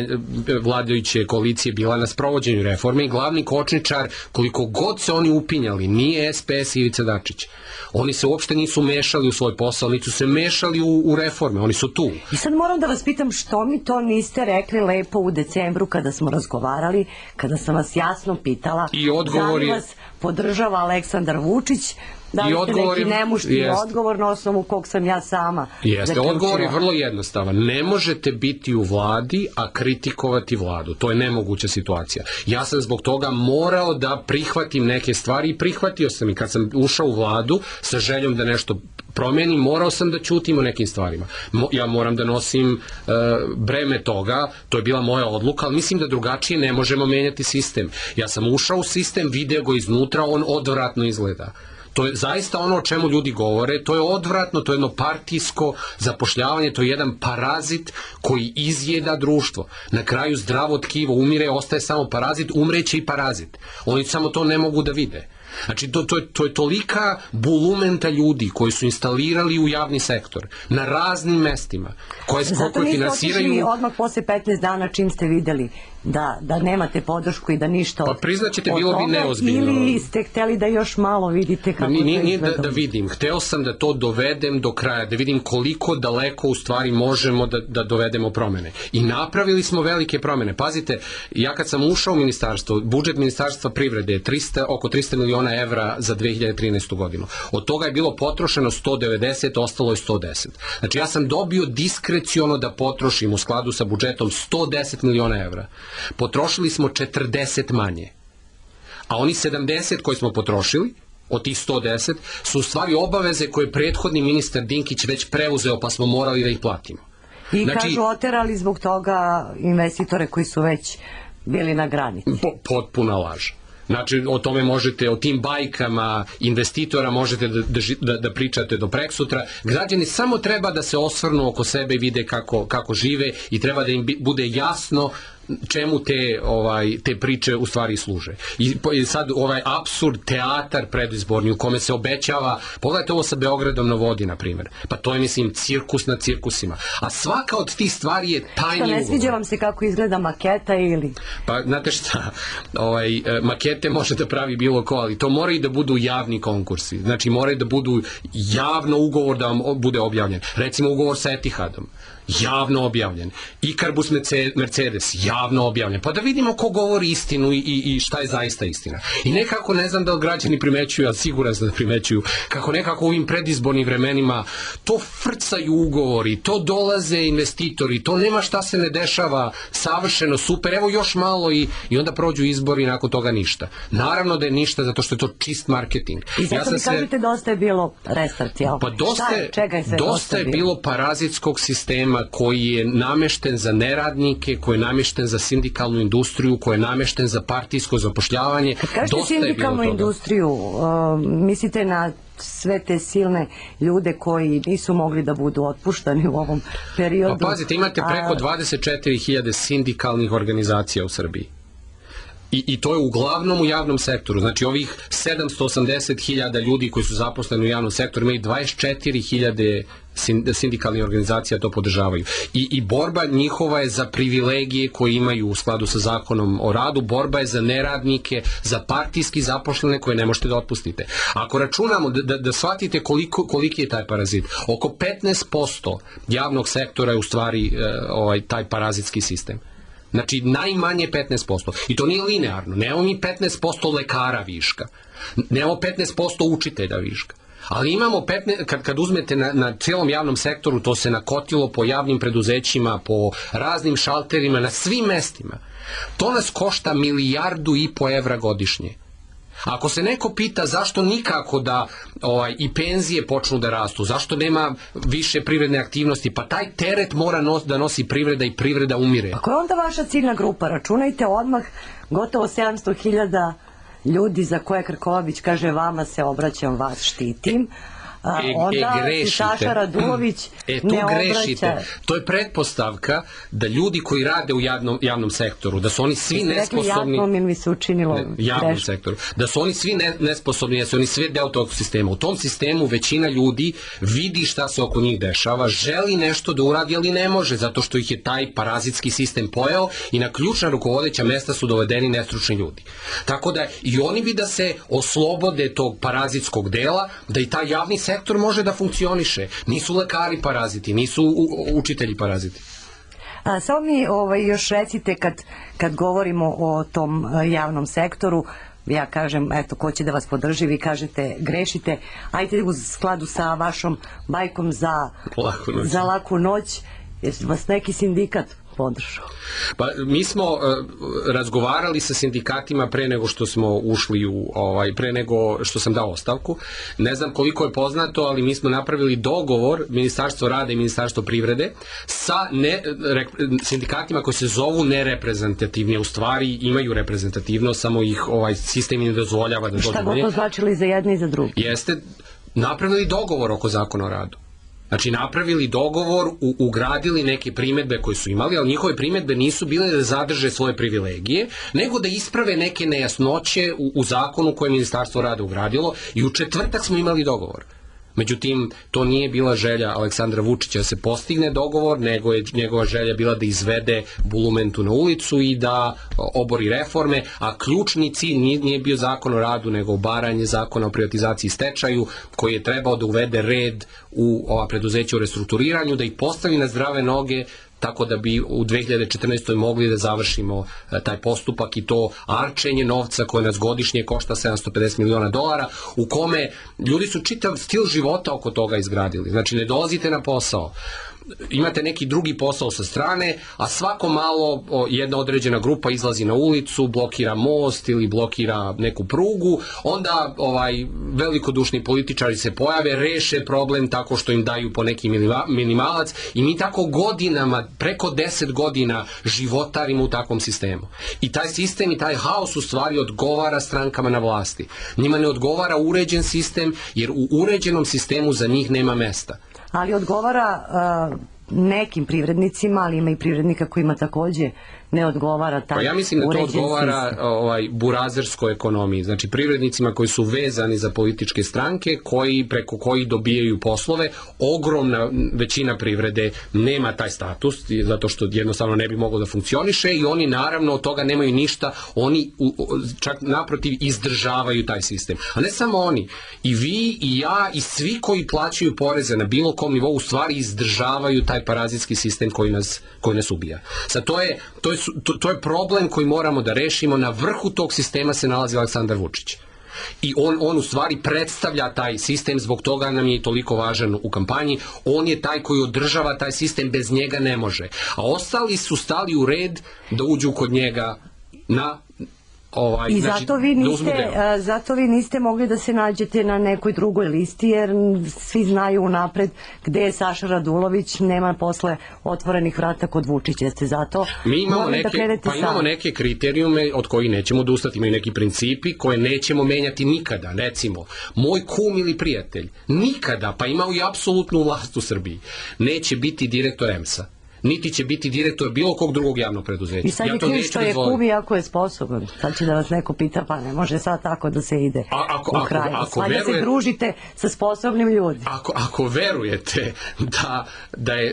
vladajuće koalicije bila na sprovođenju reforme i glavni kočničar, koliko god se oni upinjali, nije SPS i Ivica Dačić. Oni se uopšte nisu mešali u svoj posao, nisu se mešali u reforme, oni su tu. I sad moram da vas pitam što mi to niste rekli lepo u decembru kada smo razgovarali, kada sam vas jasno pitala da li vas podržava Aleksandar Vučić. Da li ste neki nemušti odgovor na osnovu kog sam ja sama zaključila? Odgovor je vrlo jednostavan. Ne možete biti u vladi, a kritikovati vladu. To je nemoguća situacija. Ja sam zbog toga morao da prihvatim neke stvari i prihvatio sam i kad sam ušao u vladu sa željom da nešto promenim, morao sam da ćutim o nekim stvarima. Ja moram da nosim breme toga, to je bila moja odluka, ali mislim da drugačije ne možemo menjati sistem. Ja sam ušao u sistem, video ga iznutra, on odvratno izgleda. To je zaista ono o čemu ljudi govore, to je odvratno, to je jedno partijsko zapošljavanje, to je jedan parazit koji izjeda društvo. Na kraju zdravo tkivo umire, ostaje samo parazit, umreće i parazit. Oni samo to ne mogu da vide. Znači, to je tolika bulumenta ljudi koji su instalirali u javni sektor na raznim mestima koje finansiraju... Zato niste otišli odmah posle 15 dana čim ste videli da nemate podršku i da ništa pa priznaćete, bilo bi neozbiljno. Ili ste hteli da još malo vidite kako to izgleda? Nije da vidim, hteo sam da to dovedem do kraja, da vidim koliko daleko u stvari možemo da dovedemo promene. I napravili smo velike promene. Pazite, ja kad sam ušao u ministarstvo, budžet Ministarstva privrede je oko 300 miliona evra za 2013. godinu. Od toga je bilo potrošeno 190, ostalo je 110. Znači ja sam dobio diskreciono da potrošim u skladu sa budžetom 110 miliona evra. Potrošili smo 40 manje. A oni 70 koji smo potrošili, od tih 110, su u stvari obaveze koje je prethodni ministar Dinkić već preuzeo, pa smo morali da ih platimo. I kažu oterali zbog toga investitore koji su već bili na granici. Potpuna laž. Znači, o tome možete, o tim bajkama investitora možete da pričate do preksutra. Građani samo treba da se osvrnu oko sebe i vide kako žive i treba da im bude jasno čemu te priče u stvari služe. I sad ovaj apsurd, teatar predizborni u kome se obećava, pogledajte ovo sa Beogradom na vodi, na primjer, pa to je, mislim, cirkus na cirkusima. A svaka od tih stvari je tajni ugovor. Ne sviđa vam se kako izgleda maketa ili... Pa, znate šta, makete može da pravi bilo ko, ali to moraju da budu javni konkursi. Znači, moraju da budu javno ugovor da vam bude objavljen. Recimo, ugovor sa Etihadom, javno objavljen. Ikarbus Mercedes, javno objavljen. Pa da vidimo ko govori istinu i šta je zaista istina. I nekako, ne znam da li građani primećuju, ali siguran sam da primećuju, kako nekako u ovim predizbornim vremenima to frcaju ugovori, to dolaze investitori, to nema šta se ne dešava, savršeno, super, evo još malo i onda prođu izbori i nakon toga ništa. Naravno da je ništa, zato što je to čist marketing. I zato mi kažete dosta je bilo restart, jel? Pa dosta je bilo parazitskog sistema koji je namešten za neradnike, koji je namešten za sindikalnu industriju, koji je namešten za partijsko zapošljavanje. Kad kažete sindikalnu industriju, mislite na sve te silne ljude koji nisu mogli da budu otpuštani u ovom periodu? Pa pazite, imate preko 24.000 sindikalnih organizacija u Srbiji. I to je uglavnom u javnom sektoru. Znači ovih 780.000 ljudi koji su zaposleni u javnom sektoru imaju 24.000 sindikalnih organizacija to podržavaju. I borba njihova je za privilegije koje imaju u skladu sa zakonom o radu, borba je za neradnike, za partijski zaposlene koje ne možete da otpustite. Ako računamo da shvatite koliki je taj parazit, oko 15% javnog sektora je u stvari taj parazitski sistem. Znači, najmanje 15%. I to nije linearno. Nemamo mi 15% lekara viška. Nemamo 15% učitelja viška. Ali imamo, kad uzmete na cijelom javnom sektoru, to se nakotilo po javnim preduzećima, po raznim šalterima, na svim mestima. To nas košta 1,5 milijardu evra godišnje. Ako se neko pita zašto nikako da i penzije počnu da rastu, zašto nema više privredne aktivnosti, pa taj teret mora da nosi privreda i privreda umire. Pa koja je onda vaša ciljna grupa? Računajte odmah gotovo 700.000 ljudi za koje Krkobabić kaže vama se obraćam, vas štitim. Onda Saša Radulović ne obraća. To je pretpostavka da ljudi koji rade u javnom sektoru, da su oni svi nesposobni. Javnom ili mi se učinilo javnom sektoru. Da su oni svi nesposobni, da su oni svi deo tog sistema. U tom sistemu većina ljudi vidi šta se oko njih dešava, želi nešto da uradi, ali ne može, zato što ih je taj parazitski sistem pojeo i na ključna rukovodeća mesta su dovedeni nestručni ljudi. Tako da i oni bi da se oslobode tog parazitskog dela, da i taj javni sektor može da funkcioniše. Nisu lekari paraziti, nisu učitelji paraziti. Samo mi još recite kad govorimo o tom javnom sektoru, ja kažem, eto, ko će da vas podrži, vi kažete grešite, ajte u skladu sa vašom bajkom za laku noć, jer vas neki sindikat podržao. Pa mi smo razgovarali sa sindikatima pre nego što smo ušli pre nego što sam dao ostavku. Ne znam koliko je poznato, ali mi smo napravili dogovor, Ministarstvo rada i Ministarstvo privrede, sa sindikatima koji se zovu nereprezentativni, u stvari imaju reprezentativnost, samo ih sistem ne dozvoljava da dođu. Šta god to značili za jedne i za druge? Jeste napravili dogovor oko zakona o radu. Znači, napravili dogovor, ugradili neke primedbe koje su imali, ali njihove primedbe nisu bile da zadrže svoje privilegije, nego da isprave neke nejasnoće u zakonu koje je Ministarstvo rada ugradilo i u četvrtak smo imali dogovor. Međutim, to nije bila želja Aleksandra Vučića da se postigne dogovor, nego je njegova želja bila da izvede bulumentu na ulicu i da obori reforme, a ključni cilj nije bio zakon o radu, nego obaranje zakona o privatizaciji i stečaju, koji je trebao da uvede red u ova preduzeća u restrukturiranju, da ih postavi na zdrave noge, tako da bi u 2014. mogli da završimo taj postupak i to arčenje novca koje nas godišnje košta $750 miliona, u kome ljudi su čitav stil života oko toga izgradili. Znači, ne dolazite na posao, imate neki drugi posao sa strane, a svako malo jedna određena grupa izlazi na ulicu, blokira most ili blokira neku prugu, onda velikodušni političari se pojave, reše problem tako što im daju po neki minimalac i mi tako godinama, preko 10 godina životarimo u takvom sistemu. I taj sistem i taj haos u stvari odgovara strankama na vlasti. Njima ne odgovara uređen sistem, jer u uređenom sistemu za njih nema mesta. Ali odgovara nekim privrednicima, ali ima i privrednika kojima takođe ne odgovara taj Pa ja mislim da to uređen odgovara sistem. burazerskoj ekonomiji, znači privrednicima koji su vezani za političke stranke, preko kojih dobijaju poslove. Ogromna većina privrede nema taj status, zato što jednostavno ne bi moglo da funkcioniše i oni naravno od toga nemaju ništa, oni čak naprotiv izdržavaju taj sistem. A ne samo oni, i vi, i ja, i svi koji plaćaju poreze na bilo kom nivou u stvari izdržavaju taj parazitski sistem koji nas ubija. Sad, to je problem koji moramo da rešimo. Na vrhu tog sistema se nalazi Aleksandar Vučić. I on u stvari predstavlja taj sistem, zbog toga nam je i toliko važan u kampanji. On je taj koji održava taj sistem, bez njega ne može. A ostali su stali u red da uđu kod njega na I zato vi niste mogli da se nađete na nekoj drugoj listi, jer svi znaju unapred gde je Saša Radulović, nema posle otvorenih vrata kod Vučića. Jeste zato morali da krenete sami. Imamo neke kriterijume od kojih nećemo odustati, imaju neki principi koje nećemo menjati nikada. Recimo, moj kum ili prijatelj nikada, pa imao i apsolutnu vlast u Srbiji, neće biti direktor EMS-a, niti će biti direktor bilo kog drugog javnog preduzeća. I sad je ključ što je kum i ako je sposoban. Sad će da vas neko pita, pa ne može sad tako da se ide u kraju. Valjda se družite sa sposobnim ljudima. Ako verujete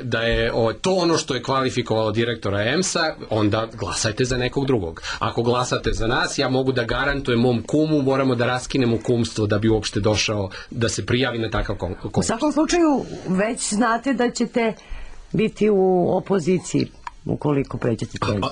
da je to ono što je kvalifikovalo direktora EMS-a, onda glasajte za nekog drugog. Ako glasate za nas, ja mogu da garantujem mom kumu, moramo da raskinemo kumstvo da bi uopšte došao da se prijavi na takav konkurs. U svakom slučaju, već znate da ćete biti u opoziciji ukoliko pređete cenzus.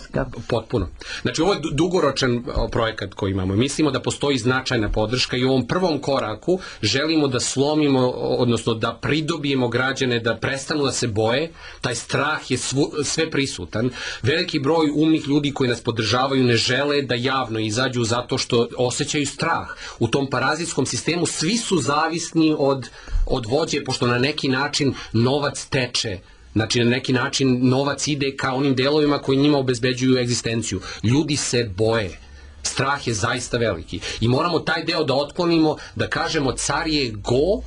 Potpuno. Znači, ovo je dugoročan projekat koji imamo. Mislimo da postoji značajna podrška i u ovom prvom koraku želimo da slomimo, odnosno da pridobijemo građane da prestanu da se boje. Taj strah je sve prisutan. Veliki broj umnih ljudi koji nas podržavaju ne žele da javno izađu zato što osjećaju strah. U tom parazitskom sistemu svi su zavisni od vođe, pošto na neki način novac teče. Znači, na neki način novac ide ka onim delovima koji njima obezbeđuju egzistenciju. Ljudi se boje. Strah je zaista veliki. I moramo taj deo da otklonimo, da kažemo car je go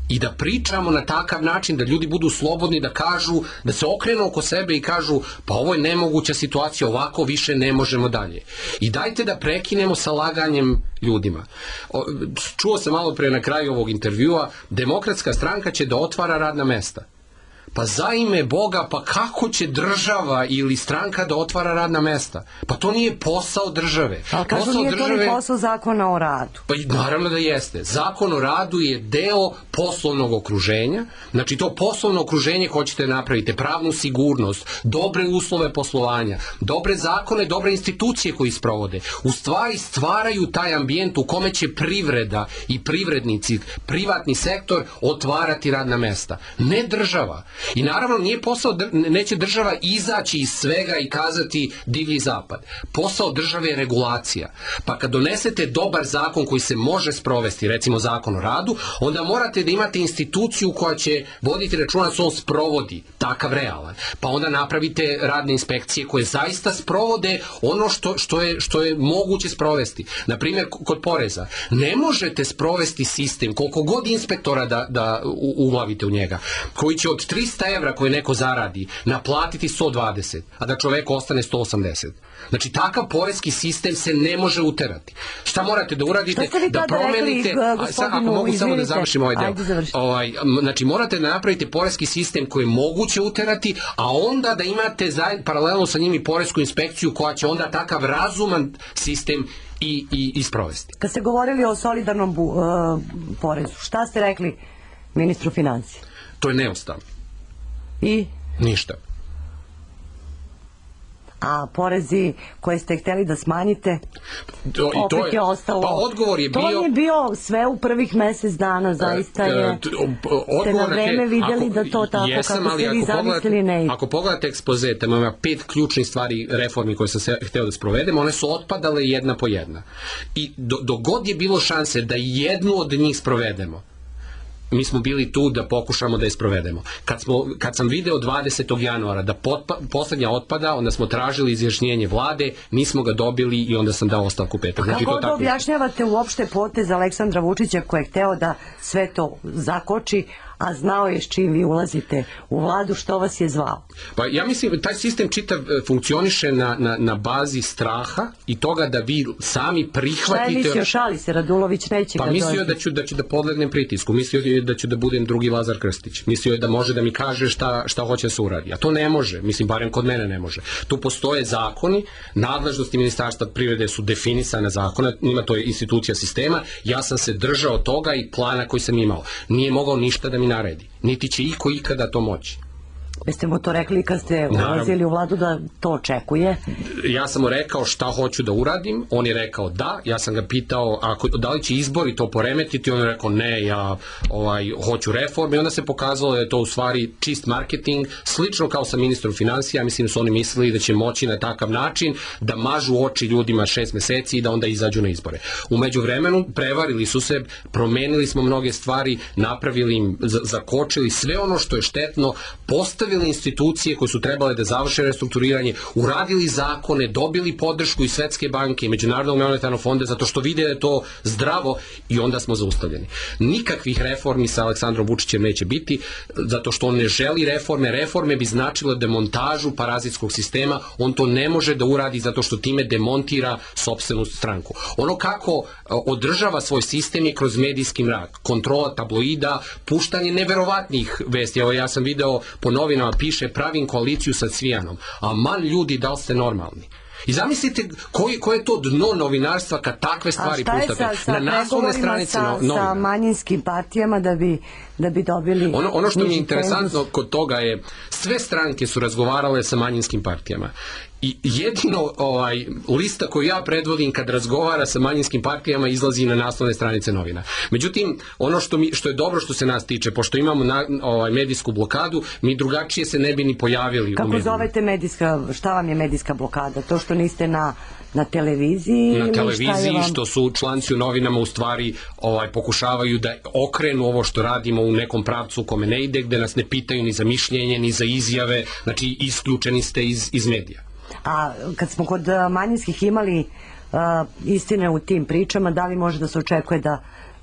i da pričamo na takav način da ljudi budu slobodni da kažu, da se okrenu oko sebe i kažu pa ovo je nemoguća situacija, ovako više ne možemo dalje. I dajte da prekinemo sa laganjem ljudima. Čuo sam malo pre na kraju ovog intervjua, Demokratska stranka će da otvara radna mesta. Pa za ime Boga, pa kako će država ili stranka da otvara radna mesta? Pa to nije posao države. Ali kažu nije to ni posao Zakona o radu. Pa naravno da jeste. Zakon o radu je deo poslovnog okruženja. Znači to poslovno okruženje hoćete napraviti, pravnu sigurnost, dobre uslove poslovanja, dobre zakone, dobre institucije koji sprovode. U stvari stvaraju taj ambijent u kome će privreda i privrednici, privatni sektor otvarati radna mesta. Ne država. I naravno nije posao, neće država izaći iz svega i kazati divlji zapad. Posao države je regulacija. Pa kad donesete dobar zakon koji se može sprovesti, recimo zakon o radu, onda morate da imate instituciju koja će voditi računa da se on sprovodi, takav realan. Pa onda napravite radne inspekcije koje zaista sprovode ono što je moguće sprovesti. Naprimjer, kod poreza. Ne možete sprovesti sistem, koliko god inspektora da uglavite u njega, koji će od 300 evra koje neko zaradi naplatiti 120, a da čoveku ostane 180. Znači, takav poreski sistem se ne može uterati. Šta morate da uradite? Da promenite... Ako mogu samo da završim ovaj deo. Znači, morate da napravite poreski sistem koji je moguće uterati, a onda da imate paralelno sa njim i poresku inspekciju koja će onda takav razuman sistem i sprovesti. Kad ste govorili o solidarnom porezu, šta ste rekli ministru financija? To je neustavno. I? Ništa. A porezi koje ste hteli da smanjite, opet je ostalo. Pa odgovor je bio... To je bio sve u prvih mesec dana, zaista je... Ste na vreme vidjeli da to tako kako ste vi zamislili ne ide. Ako pogledate ekspoze, tamo ima 5 ključnih stvari reformi koje sam hteo da sprovedem, one su otpadale jedna po jedna. I dok god je bilo šanse da jednu od njih sprovedemo, mi smo bili tu da pokušamo da je sprovedemo. Kad sam video 20. januara da poslednja otpada, onda smo tražili izjašnjenje vlade, nismo ga dobili i onda sam dao ostavku petak. Znači, kako da objašnjavate uopšte potez Aleksandra Vučića koji je hteo da sve to zakoči, a znao je s čim vi ulazite u vladu, što vas je zvao? Pa ja mislim, taj sistem čitav funkcioniše na bazi straha i toga da vi sami prihvatite... Šta je mislio, šali se, Radulović neće pa kad dođe? Mislio da ću da podlegnem pritisku, mislio je da ću da budem drugi Lazar Krstić, mislio je da može da mi kaže šta hoće da se uradi, a to ne može, mislim, barem kod mene ne može. Tu postoje zakoni, nadležnosti Ministarstva privrede su definisane zakona, ima to je institucija sistema, ja sam se držao toga i plana koji sam imao. Nije mogao ništa da mi naredi, niti će iko ikada to moći. Jeste mu to rekli kad ste ulazili u vladu da to očekuje? Ja sam mu rekao šta hoću da uradim, on je rekao da, ja sam ga pitao da li će izbori to poremetiti, on je rekao ne, ja hoću reforme i onda se pokazalo da je to u stvari čist marketing, slično kao sa ministrom financija, mislim su oni mislili da će moći na takav način da mažu oči ljudima 6 meseci i da onda izađu na izbore. U međuvremenu prevarili su se, promenili smo mnoge stvari, napravili im, zakočili sve ono što je štetno, postavili institucije koje su trebale da završe restrukturiranje, uradili zakone, dobili podršku iz Svetske banke i Međunarodnog monetarnog fonda zato što vide da je to zdravo i onda smo zaustavljeni. Nikakvih reformi sa Aleksandrom Vučićem neće biti zato što on ne želi reforme. Reforme bi značilo demontažu parazitskog sistema, on to ne može da uradi zato što time demontira sopstvenu stranku. Ono kako održava svoj sistem je kroz medijski mrak, kontrola tabloida, puštanje neverovatnih vesti. Evo ja sam video po novinama piše pravim koaliciju sa Cvijanom, a man ljudi, da li ste normalni? I zamislite koje je to dno novinarstva kad takve stvari pustate na naslovne stranice novina. Sa manjinskim partijama da bi dobili... Ono što mi je interesantno kod toga je, sve stranke su razgovarale sa manjinskim partijama. I jedino lista koju ja predvodim kad razgovara sa manjinskim partijama izlazi na naslovne stranice novina. Međutim, ono što je dobro što se nas tiče, pošto imamo medijsku blokadu, mi drugačije se ne bi ni pojavili. Kako zovete šta vam je medijska blokada? To što niste na televiziji? Na televiziji, što su članci u novinama u stvari pokušavaju da okrenu ovo što radimo u nekom pravcu u kome ne ide, gde nas ne pitaju ni za mišljenje, ni za izjave, znači isključeni ste iz medija. A kad smo kod manjinskih imali istine u tim pričama, da li može da se očekuje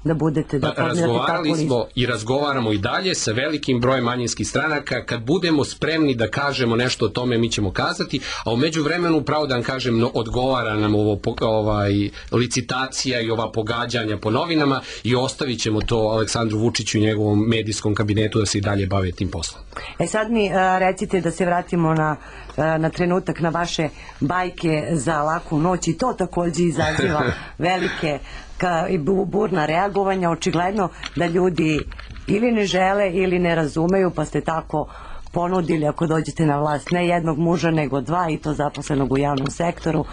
da budete... Razgovarali smo i razgovaramo i dalje sa velikim brojem manjinskih stranaka. Kad budemo spremni da kažemo nešto o tome, mi ćemo kazati, a u međuvremenu, pravo da vam kažem, odgovara nam licitacija i ova pogađanja po novinama i ostavit ćemo to Aleksandru Vučiću i njegovom medijskom kabinetu da se i dalje bave tim poslom. Sad mi recite da se vratimo na trenutak na vaše bajke za laku noć i to takođe izaziva velike i burna reagovanja. Očigledno da ljudi ili ne žele ili ne razumeju, pa ste tako ponudili, ako dođete na vlast, ne jednog muža nego dva, i to zaposlenog u javnom sektoru,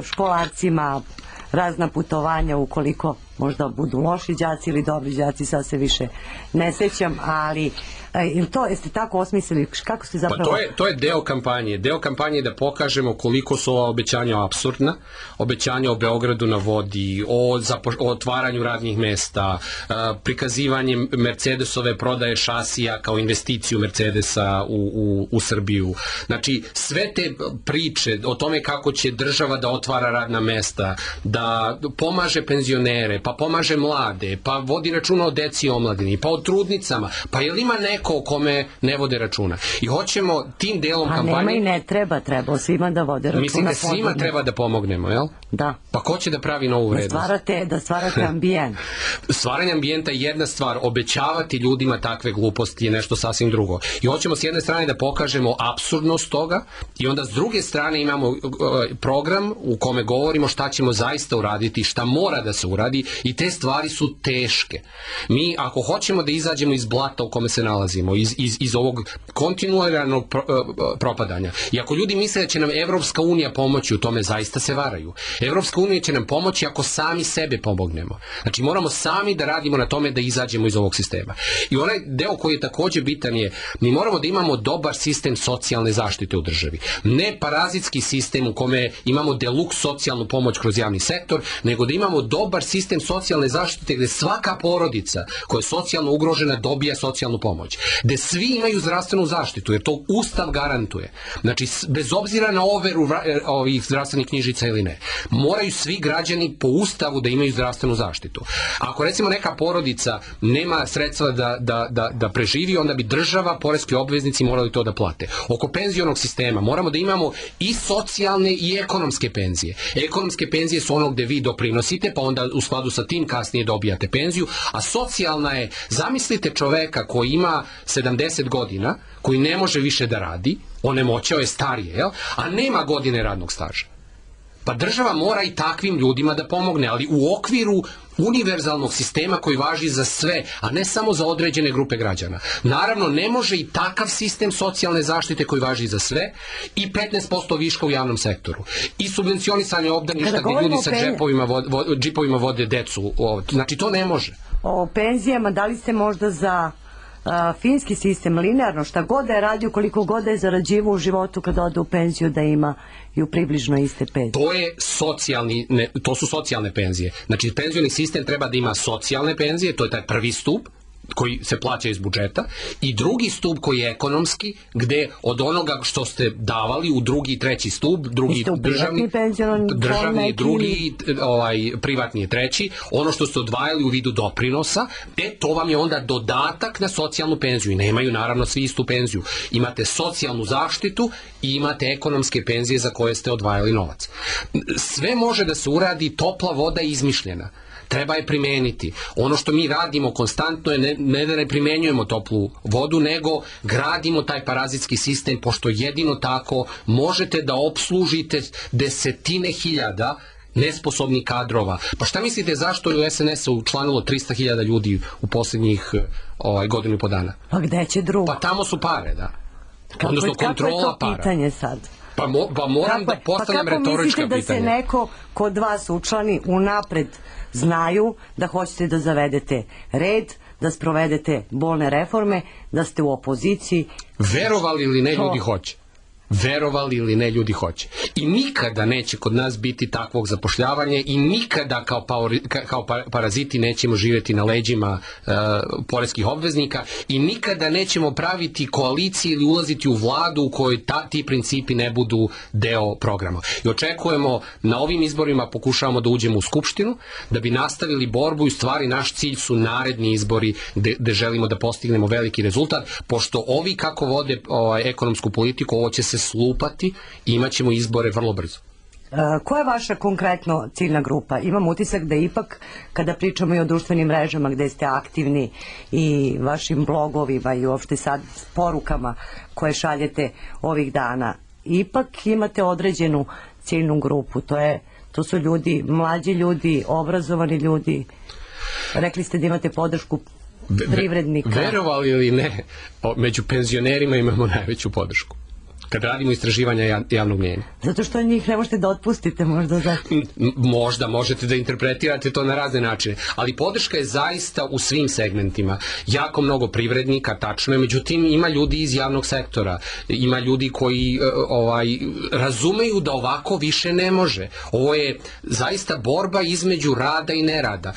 školarcima razna putovanja ukoliko možda budu loši đaci ili dobri đaci, sad se više ne sećam, ali jeste tako osmislili, kako ste zapravo... Pa to je deo kampanje. Deo kampanje je da pokažemo koliko su ova obećanja apsurdna, obećanja o Beogradu na vodi, o otvaranju radnih mesta, prikazivanje Mercedesove prodaje šasija kao investiciju Mercedesa u Srbiju. Znači, sve te priče o tome kako će država da otvara radna mesta, da pomaže penzionere, pa pomaže mlade, pa vodi računa o deci i omladini, pa o trudnicama, pa je li ima neko o kome ne vode računa? I hoćemo tim delom kampanje... A nema i ne treba svima da vode računa. Mislim da svima treba da pomognemo, jel? Da. Pa ko će da pravi novu vrednost? Da stvarate ambijent. Stvaranje ambijenta je jedna stvar, obećavati ljudima takve gluposti je nešto sasvim drugo. I hoćemo s jedne strane da pokažemo apsurdnost toga i onda s druge strane imamo program u kome govorimo šta ćemo zaista uraditi, šta mora da se uradi, i te stvari su teške. Mi, ako hoćemo da izađemo iz blata u kome se nalazimo, iz ovog kontinuiranog propadanja, i ako ljudi misle da će nam Evropska unija pomoći u tome, zaista se varaju. Evropska unija će nam pomoći ako sami sebe pomognemo. Znači, moramo sami da radimo na tome da izađemo iz ovog sistema. I onaj deo koji je takođe bitan je, mi moramo da imamo dobar sistem socijalne zaštite u državi. Ne parazitski sistem u kome imamo deluks socijalnu pomoć kroz javni sektor, nego da imamo dobar sistem socijalne zaštite gde svaka porodica koja je socijalno ugrožena dobija socijalnu pomoć, gde svi imaju zdravstvenu zaštitu, jer to Ustav garantuje. Znači, bez obzira na overu ovih zdravstvenih knjižica ili ne, moraju svi građani po Ustavu da imaju zdravstvenu zaštitu. Ako recimo neka porodica nema sredstva da preživi, onda bi država, poreski obveznici morali to da plate. Oko penzionog sistema moramo da imamo i socijalne i ekonomske penzije. Ekonomske penzije su ono gde vi doprinosite, pa onda u skladu sa tim kasnije dobijate penziju, a socijalna je, zamislite čoveka koji ima 70 godina, koji ne može više da radi, onemoćao je, starije, jel? A nema godine radnog staža. Pa država mora i takvim ljudima da pomogne, ali u okviru univerzalnog sistema koji važi za sve, a ne samo za određene grupe građana. Naravno, ne može i takav sistem socijalne zaštite koji važi za sve i 15% viška u javnom sektoru. I subvencionisanje obdaništa gdje ljudi sa džipovima vode decu. Znači, to ne može. O penzijama, da li ste možda za finski sistem, linearno, šta god da je radio, koliko god da je zarađivao u životu kada ode u penziju, da ima i u približno iste penzije? To su socijalne penzije. Znači, penzioni sistem treba da ima socijalne penzije, to je taj prvi stup koji se plaća iz budžeta, i drugi stup koji je ekonomski, gde od onoga što ste davali u drugi i treći stup, drugi državni, drugi, privatni je treći, ono što ste odvajali u vidu doprinosa, to vam je onda dodatak na socijalnu penziju i nemaju naravno svi istu penziju. Imate socijalnu zaštitu i imate ekonomske penzije za koje ste odvajali novac. Sve može da se uradi, topla voda je izmišljena. Treba je primeniti. Ono što mi radimo konstantno je ne da ne primenjujemo toplu vodu, nego gradimo taj parazitski sistem, pošto jedino tako možete da opslužite desetine hiljada nesposobnih kadrova. Pa šta mislite zašto je u SNS-u učlanilo 300.000 ljudi u posljednjih godinu i po dana? Pa gde će drugo? Pa tamo su pare, da. Odnosno kontrola para. Kako je to pitanje sad? Pa moram da postavljam retorička pitanja. Pa kako mislite da se neko kod vas učlani unapred, znaju da hoćete da zavedete red, da sprovedete bolne reforme, da ste u opoziciji? Verovali ili ne, ljudi hoće. Verovali ili ne, ljudi hoće. I nikada neće kod nas biti takvog zapošljavanja i nikada kao paraziti nećemo živjeti na leđima poreskih obveznika i nikada nećemo praviti koalicije ili ulaziti u vladu u kojoj ti principi ne budu deo programa. I očekujemo, na ovim izborima pokušavamo da uđemo u Skupštinu, da bi nastavili borbu i u stvari naš cilj su naredni izbori gde želimo da postignemo veliki rezultat, pošto ovi kako vode ekonomsku politiku, ovo će se slupati i imat ćemo izbore vrlo brzo. Koja je vaša konkretno ciljna grupa? Imam utisak da ipak, kada pričamo i o društvenim mrežama gde ste aktivni i vašim blogovima i uopšte sad porukama koje šaljete ovih dana, ipak imate određenu ciljnu grupu. To su ljudi, mlađi ljudi, obrazovani ljudi. Rekli ste da imate podršku privrednika. Verovali ili ne, među penzionerima imamo najveću podršku kad radimo istraživanja javnog mnjenja. Zato što njih ne možete da otpustite možda za... Možda, možete da interpretirate to na razne načine, ali podrška je zaista u svim segmentima. Jako mnogo privrednika, tačno je, međutim ima ljudi iz javnog sektora, ima ljudi koji razumeju da ovako više ne može. Ovo je zaista borba između rada i nerada.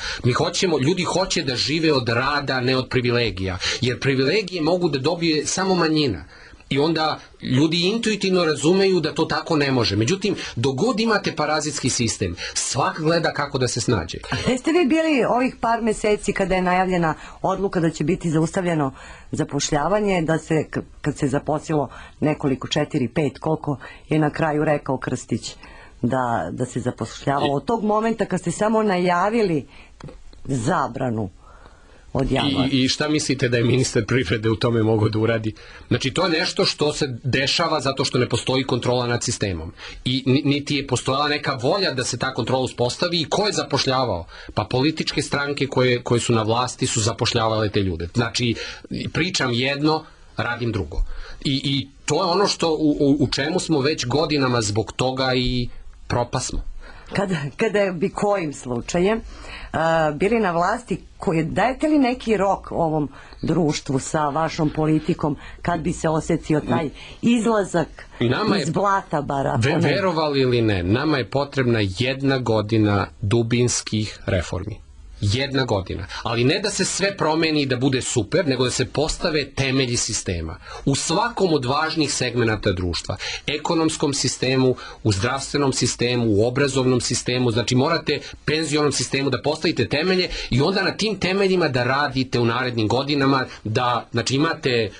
Ljudi hoće da žive od rada, ne od privilegija, jer privilegije mogu da dobije samo manjina. I onda ljudi intuitivno razumeju da to tako ne može. Međutim, dok god imate parazitski sistem, svak gleda kako da se snađe. A gde ste vi bili ovih par meseci kada je najavljena odluka da će biti zaustavljeno zapošljavanje, da se, kad se zaposlilo nekoliko, 4-5, koliko je na kraju rekao Krstić da se zapošljavalo? Od tog momenta kad ste samo najavili zabranu od januara. I šta mislite da je ministar privrede u tome mogao da uradi? Znači, to je nešto što se dešava zato što ne postoji kontrola nad sistemom. I niti je postojala neka volja da se ta kontrola uspostavi. I ko je zapošljavao? Pa političke stranke koje su na vlasti su zapošljavale te ljude. Znači, pričam jedno, radim drugo. I to je ono što u čemu smo već godinama zbog toga i propasmo. Kada bi kojim slučajem bili na vlasti, dajete li neki rok ovom društvu sa vašom politikom kad bi se osjetio taj izlazak iz blata bara? Verovali ili ne, nama je potrebna 1 godina dubinskih reformi. 1 godina. Ali ne da se sve promeni i da bude super, nego da se postave temelji sistema. U svakom od važnih segmenata društva. Ekonomskom sistemu, u zdravstvenom sistemu, u obrazovnom sistemu, znači morate penzionom sistemu da postavite temelje i onda na tim temeljima da radite u narednim godinama, da znači imate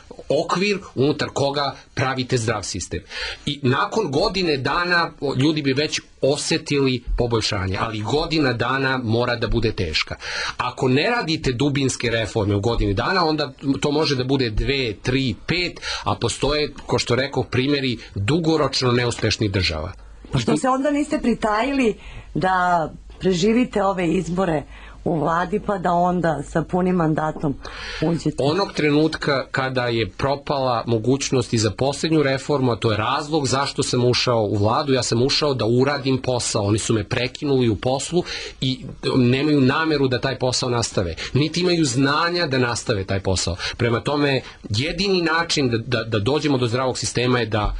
okvir unutar koga pravite zdrav sistem. I nakon godine dana ljudi bi već osetili poboljšanje, ali godina dana mora da bude teška. Ako ne radite dubinske reforme u godini dana, onda to može da bude 2, 3, 5, a postoje, ko što rekao, primjeri dugoročno neuspešnih država. Pa što se onda niste pritajili da preživite ove izbore u vladi pa da onda sa punim mandatom uđete? Onog trenutka kada je propala mogućnost i za posljednju reformu, a to je razlog zašto sam ušao u vladu, ja sam ušao da uradim posao, oni su me prekinuli u poslu i nemaju nameru da taj posao nastave, niti imaju znanja da nastave taj posao. Prema tome, jedini način da dođemo do zdravog sistema je da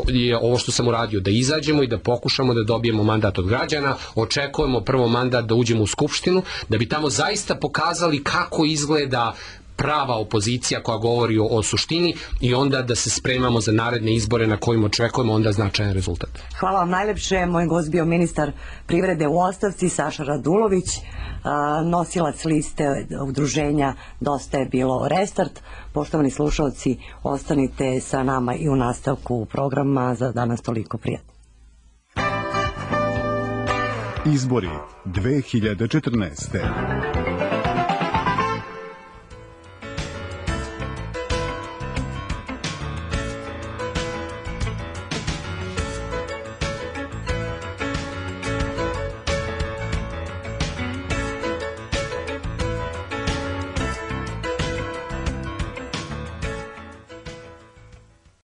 je ovo što sam uradio, da izađemo i da pokušamo da dobijemo mandat od građana, očekujemo prvo mandat da uđemo u Skupštinu, da bi tamo zaista pokazali kako izgleda prava opozicija koja govori o suštini i onda da se spremamo za naredne izbore na kojima očekujemo onda značajan rezultat. Hvala vam najlepše. Moj gost bio ministar privrede u ostavci Saša Radulović, nosilac liste udruženja Dosta je bilo Restart. Poštovani slušalci, ostanite sa nama i u nastavku programa. Za danas toliko, prijatno. Izbori 2014.